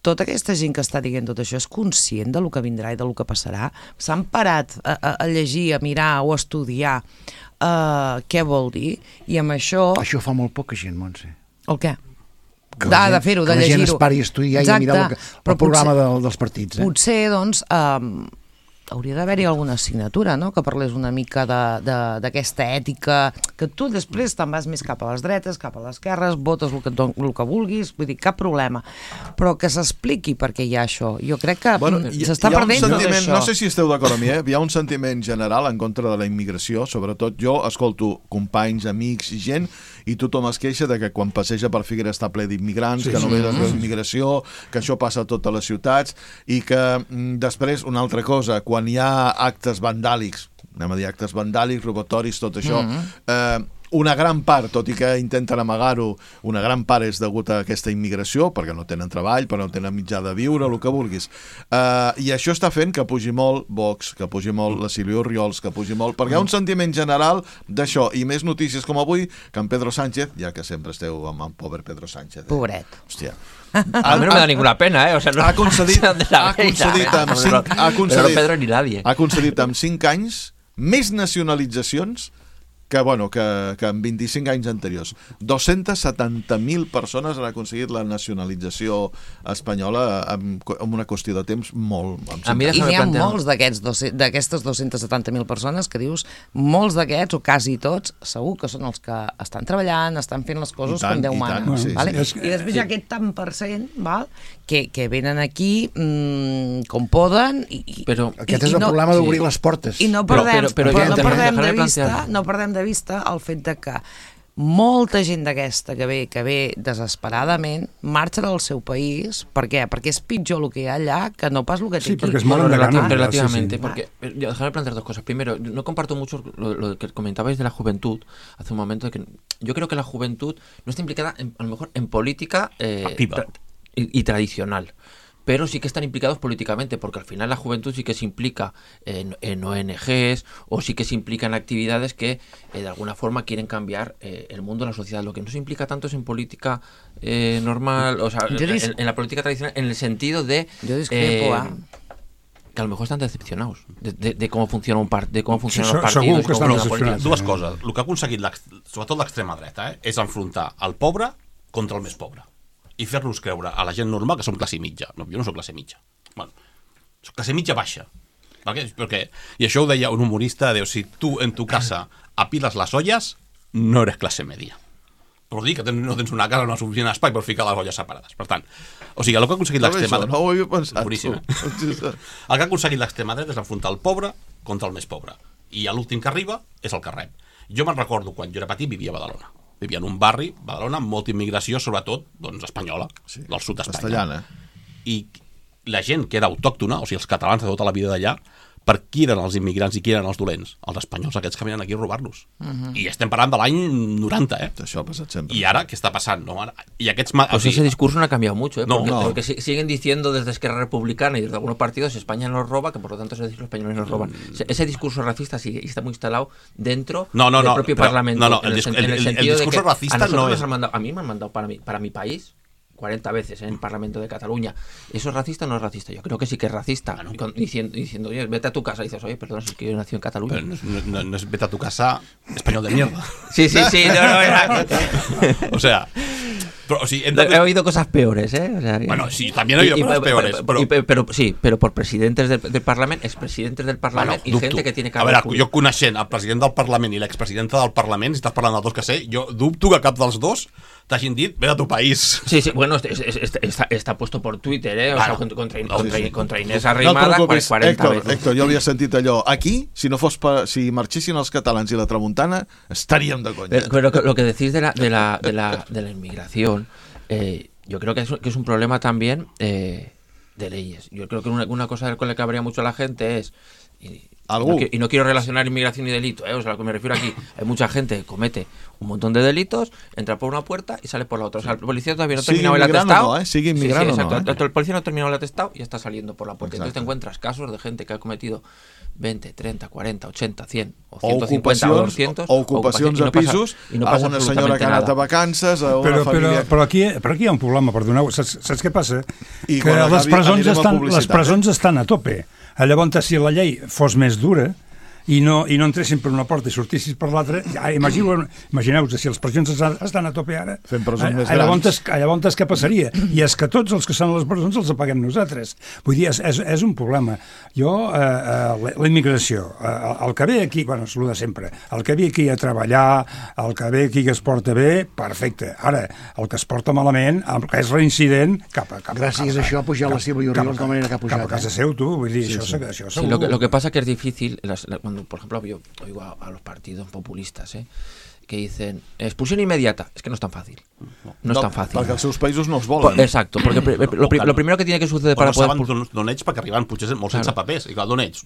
tota aquesta gent que està dient tot això és conscient del que vindrà i del que passarà? S'han parat a, a, a llegir, a mirar o a estudiar uh, què vol dir? I amb això... Això fa molt poca gent, Montse. El què? Que De, la gent- de fer-ho, de que la gent llegir-ho. es pari a estudiar i a mirar el, que- però el programa potser- del, dels partits. Eh? Potser, doncs, um, hauria d'haver-hi alguna assignatura, no?, que parlés una mica de- de- d'aquesta ètica, que tu després te'n vas més cap a les dretes, cap a les esquerres, votes el que, et don- el que vulguis, vull dir, cap problema, però que s'expliqui per què hi ha això. Jo crec que Bueno, mm, hi, s'està hi ha un perdent tot sentiment, això. no sé si esteu d'acord amb mi, eh? Hi ha un sentiment general en contra de la immigració, sobretot jo escolto companys, amics i gent, i tothom es queixa de que quan passeja per Figueres està ple d'immigrants, Sí, que sí, només sí, es veu sí. immigració, que això passa a totes les ciutats, i que mm, després, una altra cosa, quan hi ha actes vandàlics, anem a dir actes vandàlics, robatoris, tot això, Mm-hmm. eh, una gran part, tot i que intenten amagar-ho, una gran part és degut a aquesta immigració, perquè no tenen treball, però no tenen mitjà de viure, el que vulguis. Uh, I això està fent que pugi molt Vox, que pugi molt la Sílvia Orriols, que pugi molt... Perquè hi ha un sentiment general d'això, i més notícies com avui, que en Pedro Sánchez, ja que sempre esteu amb el pobre Pedro Sánchez. Eh? Pobret. Hòstia. A mí no me da ninguna pena, ¿eh? O sea, no, ha concedit, no ha concedit amb cinc, ha concedit, Pedro ni nadie. Ha concedit amb cinc anys més nacionalitzacions que, bueno, que, que en vint-i-cinc anys anteriors. dos-centes setanta mil persones han aconseguit la nacionalització espanyola en, en una qüestió de temps molt... A mi I n'hi ha plantear... molts d'aquestes dos-centes setanta mil persones que dius, molts d'aquests, o quasi tots, segur que són els que estan treballant, estan fent les coses tant, com Déu mana. tant, sí, vale? sí. I després hi ha aquest tant per cent, val? Que, que venen aquí mmm, com poden i, i, Però Aquest i, és el no, problema d'obrir sí. les portes. I no Però- perdem, però- però però, ja no entenem, perdem de dejaré vista, plantear. no perdem de vista el fet de que molta gent d'aquesta que ve, que ve desesperadament marxa del seu país. Per què? Perquè és pitjor el que hi ha allà que no pas el que té Sí, aquí. porque es Bueno, moren de relati- ganas. relativamente, Sí, sí. porque eh, yo déjame plantear dos cosas. Primero, no comparto mucho lo, lo que comentabais de la juventud hace un momento. De que yo creo que la juventud no está implicada, en- a lo mejor, en política eh, Activa. tra- y, y tradicional. Pero sí que están implicados políticamente, porque al final la juventud sí que se implica en, en O N Ges o sí que se implica en actividades que eh, de alguna forma quieren cambiar eh, el mundo, la sociedad. Lo que no se implica tanto es en política eh, normal, o sea, Yo dis- en, en la política tradicional, en el sentido de... Yo discrepo, eh, ¿eh? que a lo mejor están decepcionados de, de, de cómo funciona un part, de cómo funcionan Sí, los segur partidos. que cómo estan funciona la decepcionats. política. Dues coses. El que ha aconseguit, l'ex- sobretot l'extrema dreta, eh, és enfrontar el pobre contra el més pobre i fer-nos creure a la gent normal que som classe mitja. No, jo no soc classe mitja. Bueno, soc classe mitja baixa. Perquè, perquè, I això ho deia un humorista, diu, si tu en tu casa apiles les olles, no eres classe media. Però dir que ten, no tens una casa, no suficient espai per ficar les olles separades. Per tant, o sigui, el que ha aconseguit l'extrema dreta... No ho havia pensat. Boníssim, tu. eh? El que ha aconseguit l'extrema dreta és enfrontar el pobre contra el més pobre. I l'últim que arriba és el que rep. Jo me'n recordo quan jo era petit, vivia a Badalona. Vivia en un barri, Badalona, amb molta immigració, sobretot, doncs, espanyola, Sí, del sud d'Espanya. castellana. I la gent que era autòctona, o sigui, els catalans de tota la vida d'allà, per qui eren els immigrants i qui eren els dolents? Els espanyols, aquests que venen aquí a robar-nos. Uh-huh. I estem parlant de l'any noranta, eh? Això ha passat sempre. I ara, què està passant? No? Ara- I aquests... ma- Pues o sigui, ese discurso no ha cambiado mucho, ¿eh? No, porque, no. porque si- siguen diciendo desde Esquerra Republicana y desde algunos partidos España nos roba, que por lo tanto se dice que los españoles nos roban. Ese, ese discurso racista sigue y está muy instalado dentro No, no, del no, propio pero- Parlamento. no, no, en el el, dis- sen- el- en el el- el sentido de discurso que racista a nosotros no nos es- han mandado, a mí me han mandado para mi, para mi país cuarenta veces en el Parlamento de Cataluña. ¿Eso es racista o no es racista? Yo creo que sí que es racista. Claro. Con- diciendo, diciendo, oye, vete a tu casa. Y dices, oye, perdón, si es que yo nací en Cataluña. Pero no, es- no- no es vete a tu casa español de mierda. Sí, sí, sí. No, no, era- O sea, pero, o sigui, hem He de... oído cosas peores, ¿eh? O sea, que- Bueno, sí, también he oído Y- y- cosas pero- peores, pero- pero- y- pero, pero sí, pero por presidentes del, del Parlamento, expresidentes del Parlamento y dubto. gente que tiene A cargo veure, público. jo coneixent el president del Parlament i l'expresidenta del Parlament, si estàs parlant dels dos que sé, jo dubto que cap dels dos t'hagin dit, ve a tu país. Sí, sí, bueno, es- es- es- está, está puesto por Twitter, ¿eh? O Claro. sea, contra, No, contra, sí, sí. contra Inés No et Arrimada, preocupis, cuarenta Héctor, veces. Héctor, jo havia sentit allò. Aquí, si no fos per, si marxessin els catalans i la tramuntana, estaríem de conya. Pero, pero lo que decís de la, de la, de la, de la inmigración, eh, yo creo que es, que es un problema también eh, de leyes. Yo creo que una, una cosa con la que habría mucho la gente es... Y, ¿Algú? no, qui- y no quiero relacionar inmigración y delito, ¿eh? O sea, lo que me refiero aquí, hay mucha gente que comete un montón de delitos, entra por una puerta y sale por la otra. O sea, el policía todavía no ha Sigue terminado el inmigrando, atestado. ¿no, eh? Sigue Sí, sí, inmigrando, ¿no, exacto. eh? El policía no ha terminado el atestado y está saliendo por la puerta. Entonces te Exacto. encuentras casos de gente que ha cometido veinte, treinta, cuarenta, ochenta, cien o O ciento cincuenta o ocupacions, doscientos o ocupacions y a no pasa- pisos, y no a pasa una senyora absolutamente que ha anat nada. a vacances, a una Però, però, família... però, aquí, però aquí hi ha un problema, perdoneu. Saps, saps què passa? I que quan les acabi presons, anirem a estan, les publicitat, presons estan a tope. Llavors, si la llei fos més dura i no, i no entressin per una porta i sortissis per l'altra, ja, imagineu, imagineu-vos, si les presons estan, estan a tope ara, Fem presons eh, més llavors, grans. llavors què passaria? I és que tots els que són a les presons els apaguem nosaltres. Vull dir, és, és, és un problema. Jo, eh, eh, la immigració, eh, el que ve aquí, bueno, és el de sempre, el que ve aquí a treballar, el que ve aquí que es porta bé, perfecte. Ara, el que es porta malament, el que és reincident, cap a... Cap, Gràcies cap, a això ha pujat la Sílvia Orriols de la manera que ha pujat. Cap a casa eh? seu, tu, vull dir, sí, això, sí. això Sí, segur. lo, que, lo que pasa que es difícil, las- la- cuando por ejemplo yo oigo a, a los partidos populistas ¿eh? que dicen expulsión inmediata, es que no es tan fácil. No, es tan fácil. Perquè els seus països no els Po- volen. Exacto, porque pri- lo, pri- lo primero que tiene que suceder Para para poder... no saben d'on- d'on ets perquè arriben potser molt sense Claro. papers. I clar, d'on ets?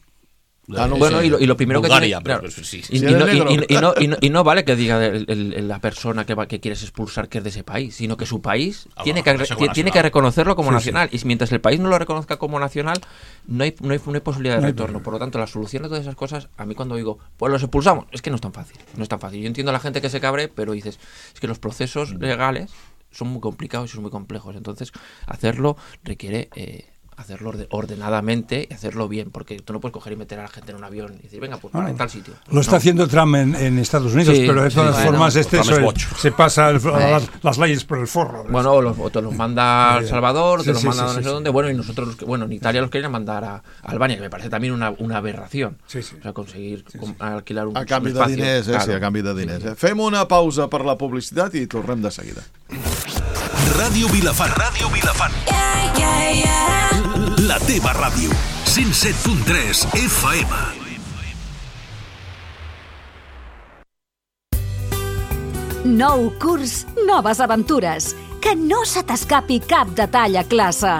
Ah, no, bueno, sí. y, lo, y lo primero Bulgaria, que tiene, pero, claro, sí, sí. y, Sí, y, no, y, negro. y, y, no, y, no, y no vale que diga el, el, la persona que, va, que quieres expulsar que es de ese país, sino que su país Ah, tiene, bueno, que, como tiene que reconocerlo como sí, nacional. Sí. Y mientras el país no lo reconozca como nacional, no hay, no hay, no hay posibilidad de no retorno. Hay... Por lo tanto, la solución de todas esas cosas, a mí cuando digo, pues los expulsamos, es que no es tan fácil. No es tan fácil. Yo entiendo a la gente que se cabre, pero dices, es que los procesos legales son muy complicados y son muy complejos. Entonces, hacerlo requiere... Eh, hacerlo ordenadamente y hacerlo bien, porque tú no puedes coger y meter a la gente en un avión y decir, venga, pues para ah, en tal sitio. Lo está no. haciendo Trump en, en Estados Unidos, sí, pero de todas sí, formas bueno, este se, se pasa el, las, las leyes por el forro. Bueno, o, los, o te los manda a El Salvador, sí, te los sí, manda sí, a no sé sí, dónde, sí. bueno, y nosotros, los que, bueno, en Italia los querían mandar a, a Albania, que me parece también una, una aberración. Sí, sí. O sea, conseguir sí, sí. alquilar un, a canvi un espacio. de diners, eh, claro. sí, a canvi de diners. Eh. Fem una pausa per la publicitat i tornem de seguida. Ràdio Vilafant. Ràdio Vilafant. Yeah, yeah, yeah. La teva ràdio. cent set punt tres F M. Nou curs, noves aventures. Que no se t'escapi cap detall a classe.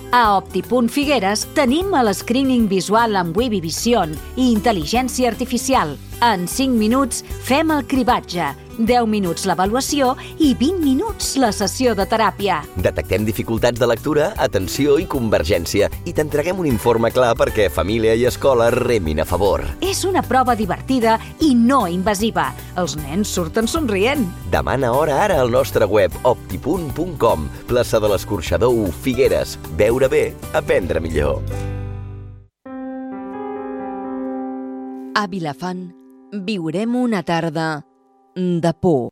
A Opti.Figueres Figueres tenim el screening visual amb Webby Vision i intel·ligència artificial. En cinc minuts fem el cribatge, deu minuts l'avaluació i vint minuts la sessió de teràpia. Detectem dificultats de lectura, atenció i convergència i t'entreguem un informe clar perquè família i escola remin a favor. És una prova divertida i no invasiva. Els nens surten somrient. Demana hora ara al nostre web opti.punt com, plaça de l'Escorxador u, Figueres. Veure bé, aprendre millor. A Vilafant viurem una tarda de por.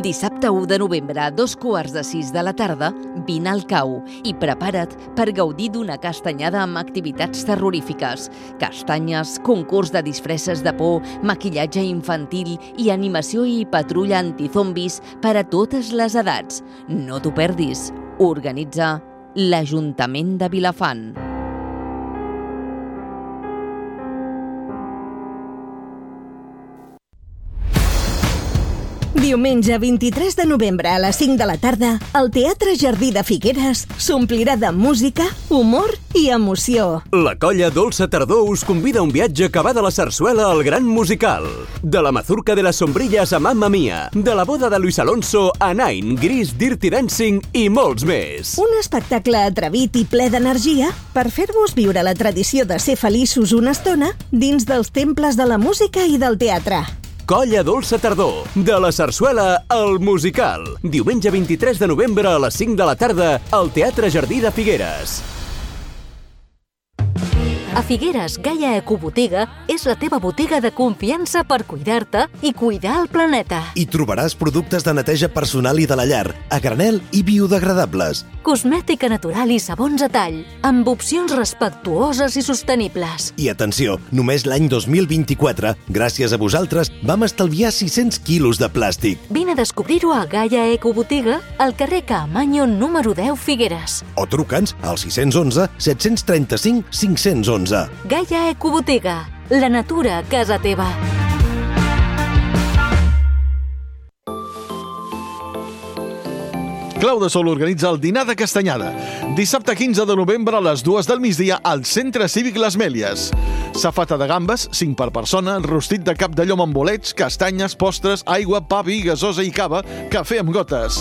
Dissabte u de novembre, a dos quarts de sis de la tarda, vine al Cau i prepara't per gaudir d'una castanyada amb activitats terrorífiques. Castanyes, concurs de disfresses de por, maquillatge infantil i animació i patrulla antizombis per a totes les edats. No t'ho perdis. Organitza l'Ajuntament de Vilafant. Diumenge vint-i-tres de novembre a les cinc de la tarda, el Teatre Jardí de Figueres s'omplirà de música, humor i emoció. La colla Dolça Tardor us convida a un viatge que va de la sarsuela al gran musical. De la mazurca de les sombrilles a Mamma Mia, de la boda de Luis Alonso a Nine, Gris, Dirty Dancing i molts més. Un espectacle atrevit i ple d'energia per fer-vos viure la tradició de ser feliços una estona dins dels temples de la música i del teatre. Colla Dolça Tardor, de la sarsuela al musical. Diumenge vint-i-tres de novembre a les cinc de la tarda al Teatre Jardí de Figueres. A Figueres, Gaia Ecobotiga és la teva botiga de confiança per cuidar-te i cuidar el planeta. Hi trobaràs productes de neteja personal i de la llar, a granel i biodegradables. Cosmètica natural i sabons a tall, amb opcions respectuoses i sostenibles. I atenció, només l'any dos mil vint-i-quatre, gràcies a vosaltres, vam estalviar sis-cents quilos de plàstic. Vine a descobrir-ho a Gaia Ecobotiga, al carrer Caamaño número deu, Figueres. O truca'ns al sis cents onze set cents trenta-cinc cinc-cents onze. Gaia Ecobotiga, la natura a casa teva. Clau de Sol organitza el dinar de castanyada. Dissabte quinze de novembre a les dues del migdia al Centre Cívic Les Mèlies. Safata de gambes, cinc per persona, rostit de cap de llom amb bolets, castanyes, postres, aigua, pa, vi, gasosa i cava, cafè amb gotes.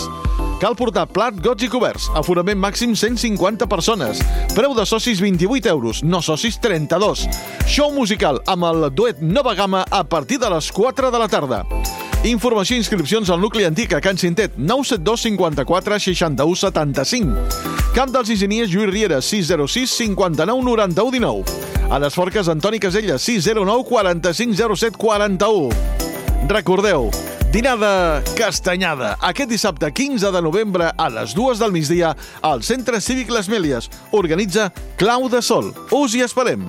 Cal portar plat, gots i coberts. Aforament màxim cent cinquanta persones. Preu de socis vint-i-vuit euros, no socis trenta-dos. Show musical amb el duet Nova Gamma a partir de les quatre de la tarda. Informació i inscripcions al nucli antic a Can Cintet, nou set dos cinquanta-quatre seixanta-u setanta-cinc. Camp dels Isinies, Lluís Riera, sis zero sis cinquanta-nou noranta-u dinou. A les Forques, Antoni Casella, sis zero nou quaranta-cinc zero set quaranta-u. Recordeu, dinar de castanyada, aquest dissabte quinze de novembre a les dues del migdia al Centre Cívic Les Mèlies. Organitza Clau de Sol. Us hi esperem.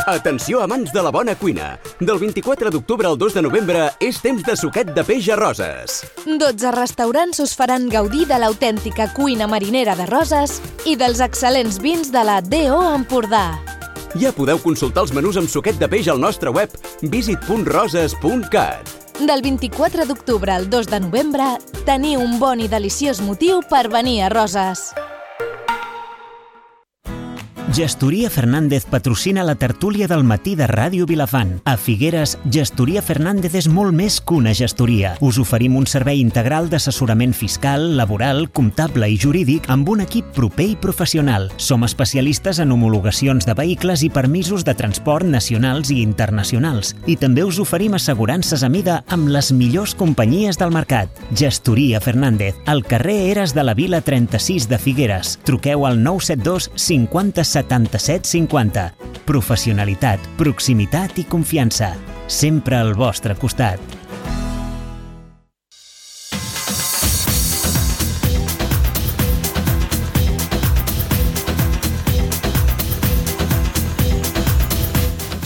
Atenció amants de la bona cuina. Del vint-i-quatre d'octubre al dos de novembre és temps de suquet de peix a Roses. dotze restaurants us faran gaudir de l'autèntica cuina marinera de Roses i dels excel·lents vins de la D O Empordà. Ja podeu consultar els menús amb suquet de peix al nostre web visit punt roses punt cat. Del vint-i-quatre d'octubre al dos de novembre, teniu un bon i deliciós motiu per venir a Roses. Gestoria Fernández patrocina la tertúlia del matí de Ràdio Vilafant. A Figueres, Gestoria Fernández és molt més que una gestoria. Us oferim un servei integral d'assessorament fiscal, laboral, comptable i jurídic amb un equip proper i professional. Som especialistes en homologacions de vehicles i permisos de transport nacionals i internacionals. I també us oferim assegurances a mida amb les millors companyies del mercat. Gestoria Fernández, al carrer Eres de la Vila trenta-sis de Figueres. Truqueu al nou set dos cinquanta setanta-set cinquanta. Professionalitat, proximitat i confiança. Sempre al vostre costat.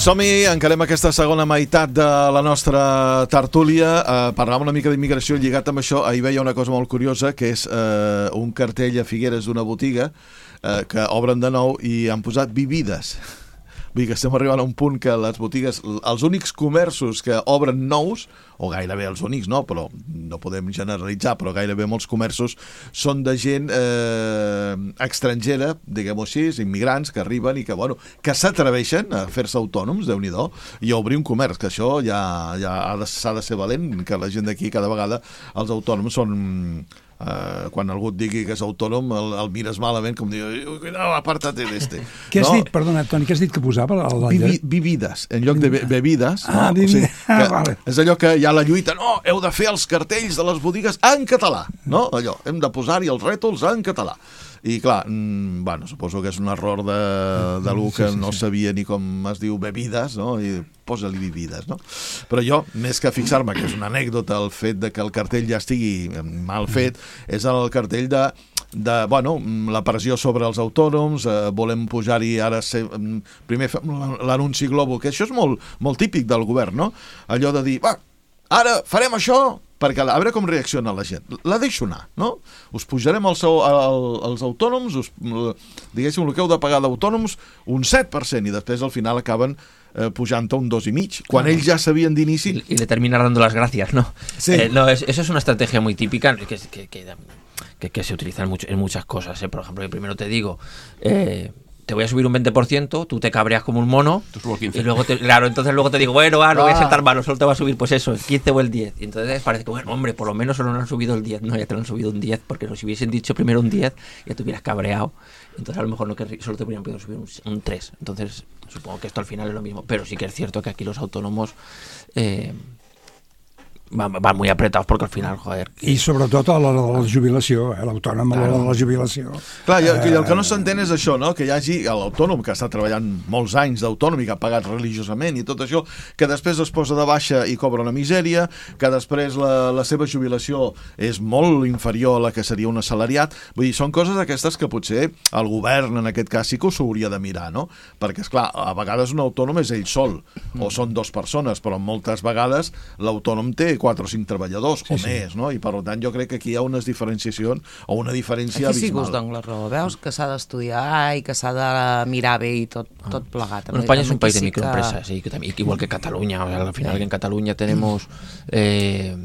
Som-hi, encarem aquesta segona meitat de la nostra tertúlia. Eh, parlàvem una mica d'immigració lligat amb això. Ahir veia una cosa molt curiosa, que és eh, un cartell a Figueres d'una botiga eh, que obren de nou i han posat bebides. Vull dir que estem arribant a un punt que les botigues, els únics comerços que obren nous, o gairebé els únics, no, però no podem generalitzar, però gairebé molts comerços són de gent eh, estrangera, diguem-ho així, immigrants que arriben i que, bueno, que s'atreveixen a fer-se autònoms, Déu-n'hi-do, i a obrir un comerç, que això ja, ja ha de, s'ha de ser valent, que la gent d'aquí cada vegada els autònoms són... Uh, quan algú et digui que és autònom el, el mires malament com diu no, aparta't d'este. Què has no? dit, perdona Toni, què has dit que posava? El... Bibi, bebides, en lloc de be bebides ah, no? bebides. O sigui, que ah, vale. És allò que hi ha la lluita, no, heu de fer els cartells de les botigues en català, no? Allò, hem de posar-hi els rètols en català. I clar, mmm, bueno, suposo que és un error de, de l'u que sí, sí, no sí. sabia ni com es diu bebides, no? I posa-li bebides, no? Però jo, més que fixar-me, que és una anècdota el fet de que el cartell ja estigui mal fet, és el cartell de, de bueno, la pressió sobre els autònoms, eh, volem pujar-hi ara, ser, primer l'anunci Globo, que això és molt, molt típic del govern, no? Allò de dir, va, ara farem això, perquè a veure com reacciona la gent. La deixo anar, no? Us pujarem els, els autònoms, us, diguéssim, el que heu de pagar d'autònoms, un set per cent, i després al final acaben eh, pujant a un dos i mig, quan ells ya sabían de inicio. Y, y le termina dando las gracias, ¿no? Sí. Eh, no, es, eso es una estrategia muy típica que, que, que, que, que se utiliza en, mucho, en muchas cosas, ¿eh? Por ejemplo, yo primero te digo... Eh, te voy a subir un veinte por ciento, tú te cabreas como un mono y luego te, claro, entonces luego te digo, bueno, ah, no voy a ser tan malo, solo te va a subir pues eso, el quince o el diez. Y entonces parece que, bueno, hombre, por lo menos solo no han subido el diez, no, ya te lo han subido un diez, porque si hubiesen dicho primero un diez, ya te hubieras cabreado. Entonces a lo mejor no que solo te hubieran podido subir un, un tres. Entonces supongo que esto al final es lo mismo, pero sí que es cierto que aquí los autónomos... Eh, van, van muy apretados porque al final, joder... Que... I sobretot a l'hora de la jubilació, eh? L'autònom a l'hora de la jubilació. Clar, i el, eh... el que no s'entén és això, no? Que hi hagi l'autònom que està treballant molts anys d'autònom i que ha pagat religiosament i tot això, que després es posa de baixa i cobra una misèria, que després la, la seva jubilació és molt inferior a la que seria un assalariat. Vull dir, són coses aquestes que potser el govern, en aquest cas, sí que s'ho hauria de mirar, no? Perquè, esclar, a vegades un autònom és ell sol, o són dues persones, però moltes vegades l'autònom té quatre o cinc treballadors, sí, o sí. més, no? I per tant jo crec que aquí hi ha unes diferenciacions o una diferència aquí abismal. Aquí sí que us dono la raó, veus? Que s'ha d'estudiar i que s'ha de mirar bé i tot, tot plegat. Bueno, España es un país de microempresas, sí, que también, igual que Cataluña, o sea, al final que en Cataluña tenemos, eh,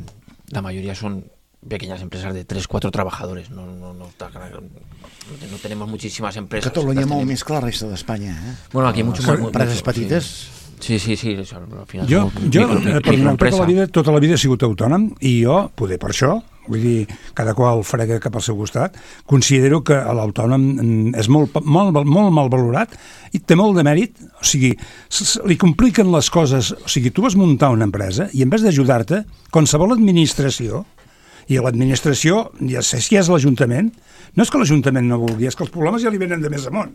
la mayoría son pequeñas empresas de tres, cuatro trabajadores, no, no, no, no tenemos muchísimas empresas. Catalunya molt més que la resta d'Espanya, eh? Bueno, aquí mucho más. Empreses petites... Sí. Sí, sí, sí, això, al final jo, jo micro, per micro, tota, la vida, tota la vida he sigut autònom i jo, poder per això, vull dir, cada qual frega cap al seu costat, considero que l'autònom és molt, molt, molt mal valorat i té molt de mèrit, o sigui, li compliquen les coses, o sigui, tu vas muntar una empresa i en vez d'ajudar-te, qualsevol administració, i l'administració, ja sé si és l'Ajuntament, no és que l'Ajuntament no vulgui, és que els problemes ja li venen de més amunt,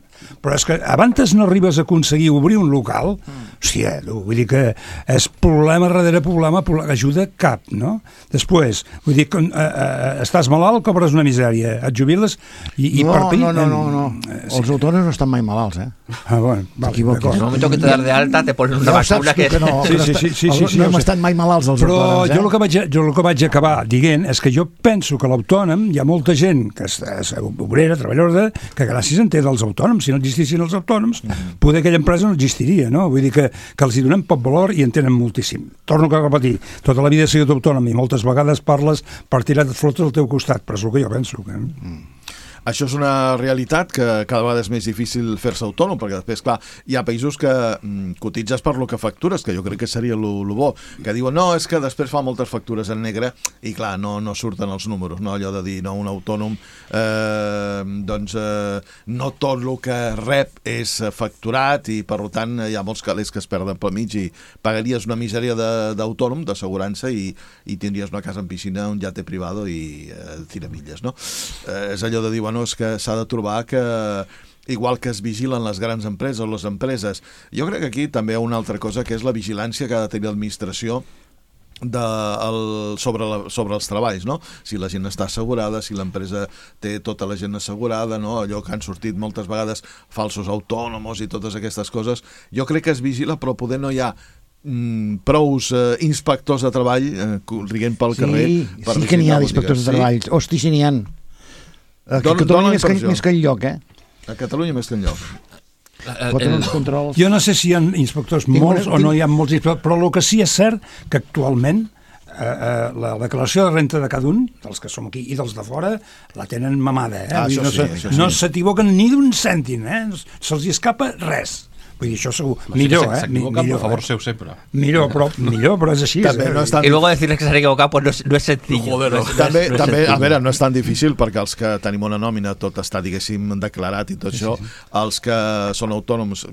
però és que abans no arribes a aconseguir obrir un local, mm. hòstia, vull dir que és problema darrere problema, problema, ajuda cap, no? Després, vull dir, quan, eh, eh, estàs malalt, cobres una misèria, et jubiles i, i no, per no, no, no, no, eh, sí. Els autònoms no estan mai malalts, eh? Ah, bueno, vale, en el momento que te das de alta te ponen una ja vacuna que... que no, sí, sí, sí, sí, sí, sí, no hem estat mai malalts els però autònoms, eh? jo el que vaig, jo el que vaig acabar dient és que jo penso que l'autònom, hi ha molta gent que és, és obrera, treballadora, que gràcies en té dels autònoms. Si no existissin els autònoms, mm-hmm. poder aquella empresa no existiria, no? Vull dir que, que els hi donem poc valor i en tenen moltíssim. Torno a repetir, tota la vida he sigut autònom i moltes vegades parles per tirar de flotes al teu costat, però és el que jo penso. Que... Mm. Això és una realitat que cada vegada és més difícil fer-se autònom, perquè després, clar, hi ha països que mm, cotitzes per lo que factures, que jo crec que seria lo, lo bo, que diuen, no, és que després fa moltes factures en negre, i clar, no, no surten els números, no? Allò de dir, no, un autònom, eh, doncs, eh, no tot el que rep és facturat, i per tant hi ha molts calés que es perden pel mig, i pagaries una misèria d'autònom, d'assegurança, i, i tindries una casa en piscina, un llate privado i eh, tiramilles, no? Eh, és allò de dir, no, és que s'ha de trobar que igual que es vigilen les grans empreses o les empreses, jo crec que aquí també hi ha una altra cosa que és la vigilància que ha de tenir l'administració de, el, sobre, la, sobre els treballs, no? Si la gent està assegurada, si l'empresa té tota la gent assegurada, no? Allò que han sortit moltes vegades falsos autònoms i totes aquestes coses, jo crec que es vigila, però poder no hi ha Mm, prous eh, inspectors de treball eh, riguent pel sí, carrer per sí que n'hi ha d'inspectors de treball, sí? Hosti, si n'hi ha a Catalunya més que, més que enlloc, eh? A Catalunya més que enlloc. El... Controls... Jo no sé si hi ha inspectors tinc molts una... o no hi ha molts inspectors, però el que sí és cert que actualment eh, eh, la declaració de renta de cada un, dels que som aquí i dels de fora, la tenen mamada, eh? Ah, no sí, se, no s'equivoquen ni d'un cèntim, eh? Se'ls escapa res. Vull dir, això segur, millor, eh? S'equivoca, per favor, seu sempre. Millor, però, millor, però és així. També, no és tan... I luego decirles que s'han equivocat, pues no és, no és sencillo. Joder, no. No és, també, no és també a veure, no és tan difícil, perquè els que tenim una nòmina, tot està, diguéssim, declarat i tot sí, això, sí, sí. Els que són autònoms,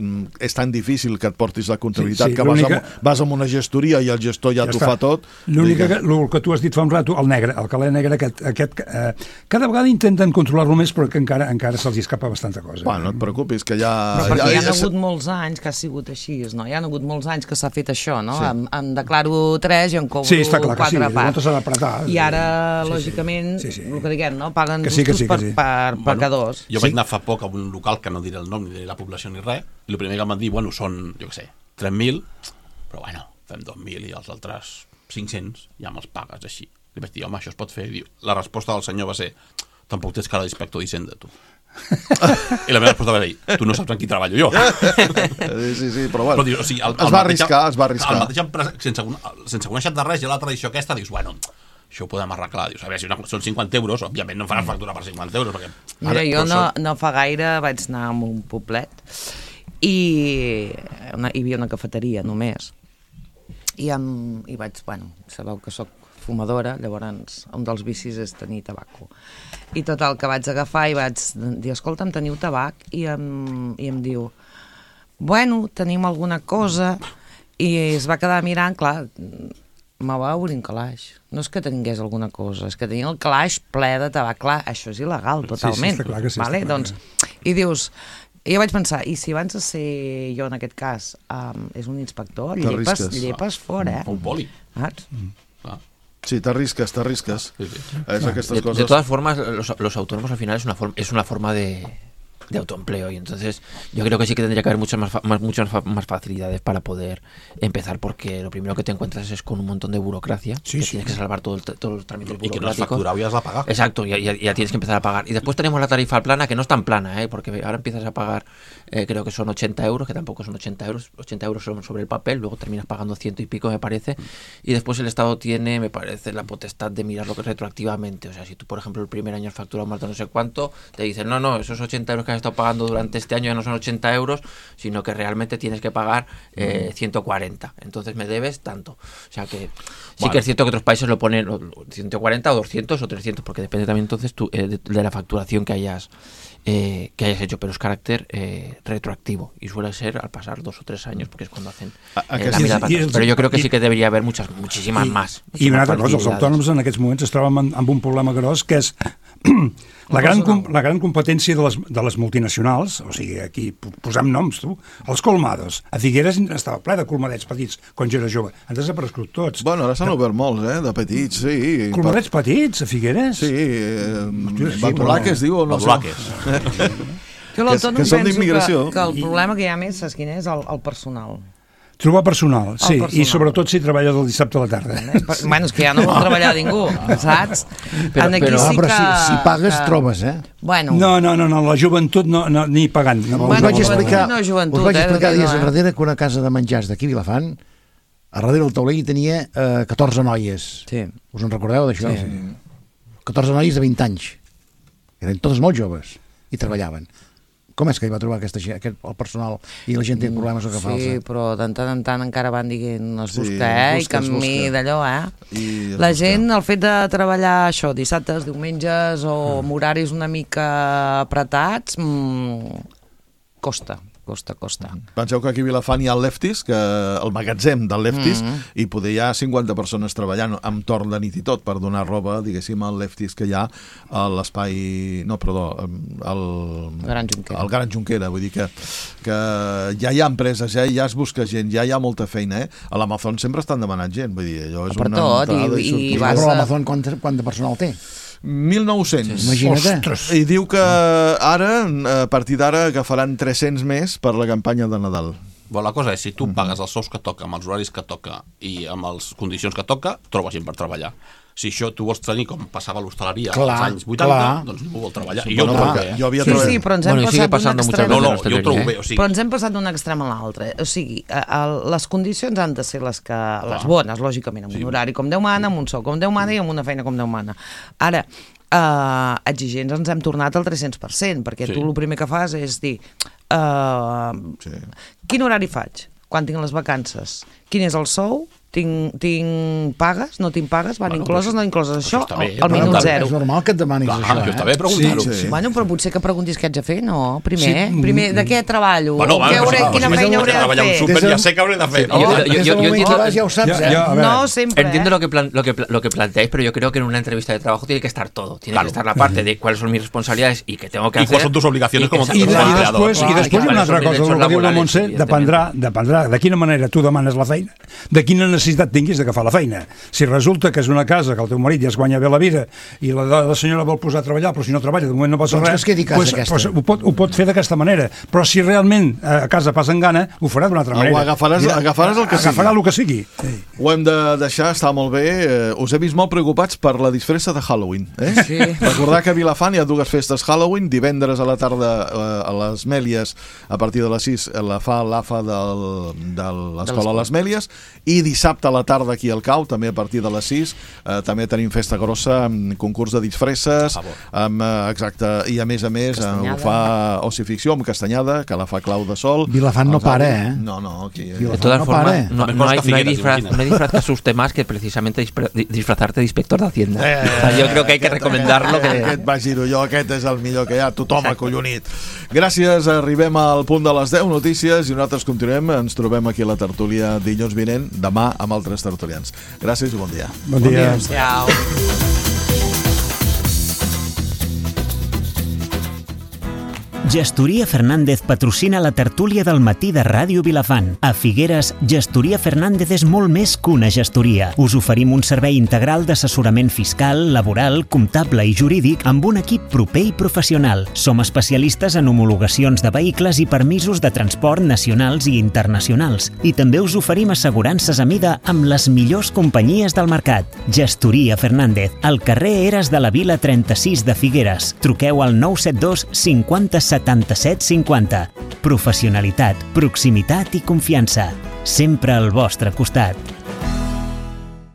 és tan difícil que et portis la comptabilitat, sí, sí, que vas, amb, vas amb una gestoria i el gestor ja, ja t'ho fa tot. L'únic que, el que tu has dit fa un rato, el negre, el calé negre, aquest, aquest eh, cada vegada intenten controlar-lo més, però que encara encara se'ls escapa bastanta cosa. Bueno, no et preocupis, que ja... Però perquè ja, hi ha hagut molts anys que ha sigut així, no? Hi ha hagut molts anys que s'ha fet això, no? Sí. Em, em declaro tres i em cobro sí, clar, quatre sí, parts. Apretar, I ara, sí, lògicament, sí, sí. el que diguem, no? Paguen que sí, que sí, per, que sí. per, per bueno, pecadors. Jo sí. vaig anar fa poc a un local que no diré el nom ni diré la població ni res, i el primer que em van dir, bueno, són, jo què sé, tres mil, però bueno, fem dos mil i els altres cinc-cents ja me'ls pagues així. Li vaig dir, home, això es pot fer. I diu, la resposta del senyor va ser, tampoc tens cara d'inspector d'Hisenda, tu. I la meva resposta va dir, tu no saps en qui treballo jo. Sí, sí, sí, però bueno, però, o sigui, el, el es va mateix, arriscar, es va arriscar. El mateix empresa, sense, sense conèixer de res, i la tradició aquesta, dius, bueno, això ho podem arreglar. Dius, a veure, si una, són cinquanta euros, òbviament no em faràs factura per cinquanta euros. Perquè... Mira, ara, jo no, no fa gaire vaig anar a un poblet i una, hi havia una cafeteria només. I, amb, i vaig, bueno, sabeu que soc fumadora, llavors un dels vicis és tenir tabaco. I tot el que vaig agafar i vaig dir, escolta'm, teniu tabac? I em, i em diu, bueno, tenim alguna cosa, i es va quedar mirant, clar, me va obrir un calaix. No és que tingués alguna cosa, és que tenia el calaix ple de tabac. Clar, això és il·legal, totalment. Sí, sí, està clar que sí, vale? està clar. Doncs, i dius, i jo vaig pensar, i si abans de ser jo en aquest cas um, és un inspector, llepes, llepes fora, eh? Un poli. Saps? Mm. Ah. Sí, t'arrisques, t'arrisques. Sí, sí. Es aquestes de, cosas... de todas formas, los, los autónomos al final es una, forma, es una forma de, de autoempleo, y entonces yo creo que sí que tendría que haber muchas más, más, muchas más facilidades para poder empezar, porque lo primero que te encuentras es con un montón de burocracia, sí, que sí. tienes que salvar todo el, todos los trámites burocráticos. Y que no has facturado y has de pagar. Exacto, ya, ya, ya tienes que empezar a pagar. Y después tenemos la tarifa plana, que no es tan plana, ¿eh? Porque ahora empiezas a pagar, eh, creo que son ochenta euros, que tampoco son ochenta euros, ochenta euros son sobre el papel, luego terminas pagando ciento y pico, me parece, y después el Estado tiene, me parece, la potestad de mirarlo retroactivamente. O sea, si tú, por ejemplo, el primer año has facturado más de no sé cuánto, te dicen, no, no, esos ochenta euros que has estado pagando durante este año ya no son ochenta euros, sino que realmente tienes que pagar eh, ciento cuarenta. Entonces me debes tanto. O sea que sí, bueno, que es cierto que otros países lo ponen ciento cuarenta o doscientos o trescientos, porque depende también entonces tú, eh, de, de la facturación que hayas eh, que hayas hecho, pero es carácter eh, retroactivo y suele ser al pasar dos o tres años, porque es cuando hacen eh, la mirada para atrás. Però jo crec que sí que debería haver muchas, muchísimas I, más. I una altra cosa, els autònoms en aquests moments es troben amb, amb un problema gros, que és la gran, la gran competència de les, de les multinacionals, o sigui, aquí posem noms, tu, els colmados. A Figueres estava ple de colmadets petits quan jo era jove. Han desaparegut tots. Bueno, ara s'han obert molts, eh, de petits, sí. Colmadets per... petits, a Figueres? Sí, eh, Badulaques, sí, diu, o no? Badulaques. Jo l'autònom penso que, que el problema que hi ha més, saps quin és? El, el personal. Trobar personal, sí, personal. I sobretot si treballa del dissabte a la tarda. Bueno, és que ja no vol treballar ningú, saps? Però, aquí però, sí però que, si, si pagues, que... trobes, eh? Bueno. No, no, no, no, la joventut no, no ni pagant. No, bueno, us vaig explicar, no, joventut, us vaig explicar eh, dies no, eh? enrere que una casa de menjars d'aquí a Vilafant, a darrere del taulell tenia eh, catorze noies. Sí. Us en recordeu d'això? Sí. catorze noies de vint anys. Eren totes molt joves i treballaven. Com és que hi va trobar aquesta, aquest, el personal i la gent té problemes o que fa? Sí, però de tant en tant encara van dient es busca, Sí, eh? es busca, I camí es busca. d'allò, eh? I es La busca. gent, el fet de treballar això, dissabtes, diumenges o amb horaris una mica apretats, mmm, costa, costa, costa. Penseu que aquí a Vilafant hi ha el Lefties, que el magatzem del Lefties, Mm. i poder hi ha cinquanta persones treballant amb torn de nit i tot per donar roba, diguéssim, al Lefties que hi ha a l'espai... No, perdó, al... Gran Junquera. Al Gran Junquera, vull dir que, que ja hi ha empreses, ja, ja es busca gent, ja hi ha molta feina, eh? A l'Amazon sempre estan demanant gent, vull dir, allò és Per una tot, i- entrada i sortida. vas Però a- l'Amazon quant, quant de personal té? mil nou-cents. Imagina't. I diu que ara, a partir d'ara, agafaran tres-cents més per la campanya de Nadal. Però la cosa és, si tu pagues els sous que toca, amb els horaris que toca i amb les condicions que toca, trobes gent per treballar. Si això tu vols tenir com passava a l'hostaleria Clar, als anys vuitanta, clar. doncs no vol treballar. Sí, I jo bueno, ho trobo clar, bé. jo havia Sí, treballat- sí, però ens hem Bueno, y sigue passat d'un pasando muchas extrem... No, veces. no, jo ho trobo bé. O sigui, Però ens hem passat d'un extrem a l'altre. O sigui, a, a, les condicions han de ser les, que, les bones, lògicament, amb un horari com Déu mana, amb un sou com Déu mana i amb una feina com Déu mana. Ara, eh, exigents ens hem tornat al tres-cents per cent, perquè Sí. tu el primer que fas és dir eh, Sí. quin horari faig? Quan tinc les vacances? Quin és el sou? Tinc, tinc pagues? No tinc pagues? Van Bueno, incloses? però No incloses? Això, està bé, al però minut clar, zero. És normal que et demanis Clar, això, això eh? està bé preguntar-ho. Sí, sí. Bueno, però potser que preguntis què haig de fer, no? Primer, Sí. primer de què treballo? Bueno, O va, què hauré, però, quina si feina és hauré de treballar un fer? súper, Des de- ja sé que hauré de fer. Yo- No, yo- Des del yo- moment yo que entiendo- vas ja ho saps, Ja- eh? ja- a ver. No, siempre. Entiendo ¿eh? lo que, plan- lo, que, pla- lo que planteáis, pero yo creo que en una entrevista de trabajo tiene que estar todo. Tiene Claro. que estar la parte de cuáles son mis responsabilidades y qué tengo que Y hacer. cuáles son tus obligaciones como exacto, I, como i empleador. després, Clar, i després hi ha una i altra quals cosa, són el que diu la laborals, Montse, dependrà, dependrà de quina manera tu demanes la feina, de quina necessitat tinguis d'agafar la feina. Si resulta que és una casa que el teu marit ja es guanya bé la vida i la, la senyora vol posar a treballar, però si no treballa de moment no passa Doncs que res, es quedi a casa pues, aquesta. pues, ho, pot, ho pot fer d'aquesta manera. Però si realment a casa passen gana, ho farà d'una altra Ho manera. agafaràs- Dirà, agafaràs el que agafarà sigui. el que sigui. Sí. Ho hem de deixar, està molt bé. Eh, us he vist molt preocupats per la disfressa de Halloween. Eh? Sí. Recordar que a Vilafant hi ha dues festes Halloween. Divendres a la tarda eh, a les Mèlies, a partir de les sis, eh, la fa l'A F A del, de l'Escola a les Mèlies, i dissabte a la tarda aquí al Cau, també a partir de les sis, eh, també tenim festa grossa amb concurs de disfresses, amb, eh, exacte, i a més a més eh, ho fa Ocificció amb Castanyada, que la fa Clau de Sol. Vilafant no Els para, altres- eh? No, no, aquí... Vilafant De todas no formas, pare. no, También no hay, consta no, hay Figueras, disfraz, imagina. no hay disfraz que asuste más que precisamente dispra- di- disfrazarte de inspector de Hacienda. O sea, yo creo que hay que recomendarlo. Que... Aquest vaig dir-ho jo, aquest és el millor que hi ha, tothom acollonit. Gràcies, arribem al punt de les deu notícies i nosaltres continuem, ens trobem aquí a la tertúlia dilluns vinent, demà amb altres tertulians. Gràcies i bon dia. Bon dia. Ciao. Gestoria Fernández patrocina la tertúlia del matí de Ràdio Vilafant. A Figueres, Gestoria Fernández és molt més que una gestoria. Us oferim un servei integral d'assessorament fiscal, laboral, comptable i jurídic amb un equip proper i professional. Som especialistes en homologacions de vehicles i permisos de transport nacionals i internacionals. I també us oferim assegurances a mida amb les millors companyies del mercat. Gestoria Fernández, al carrer Eres de la Vila trenta-sis de Figueres. Truqueu al nou set dos cinquanta setanta-set cinquanta. Professionalitat, proximitat i confiança. Sempre al vostre costat.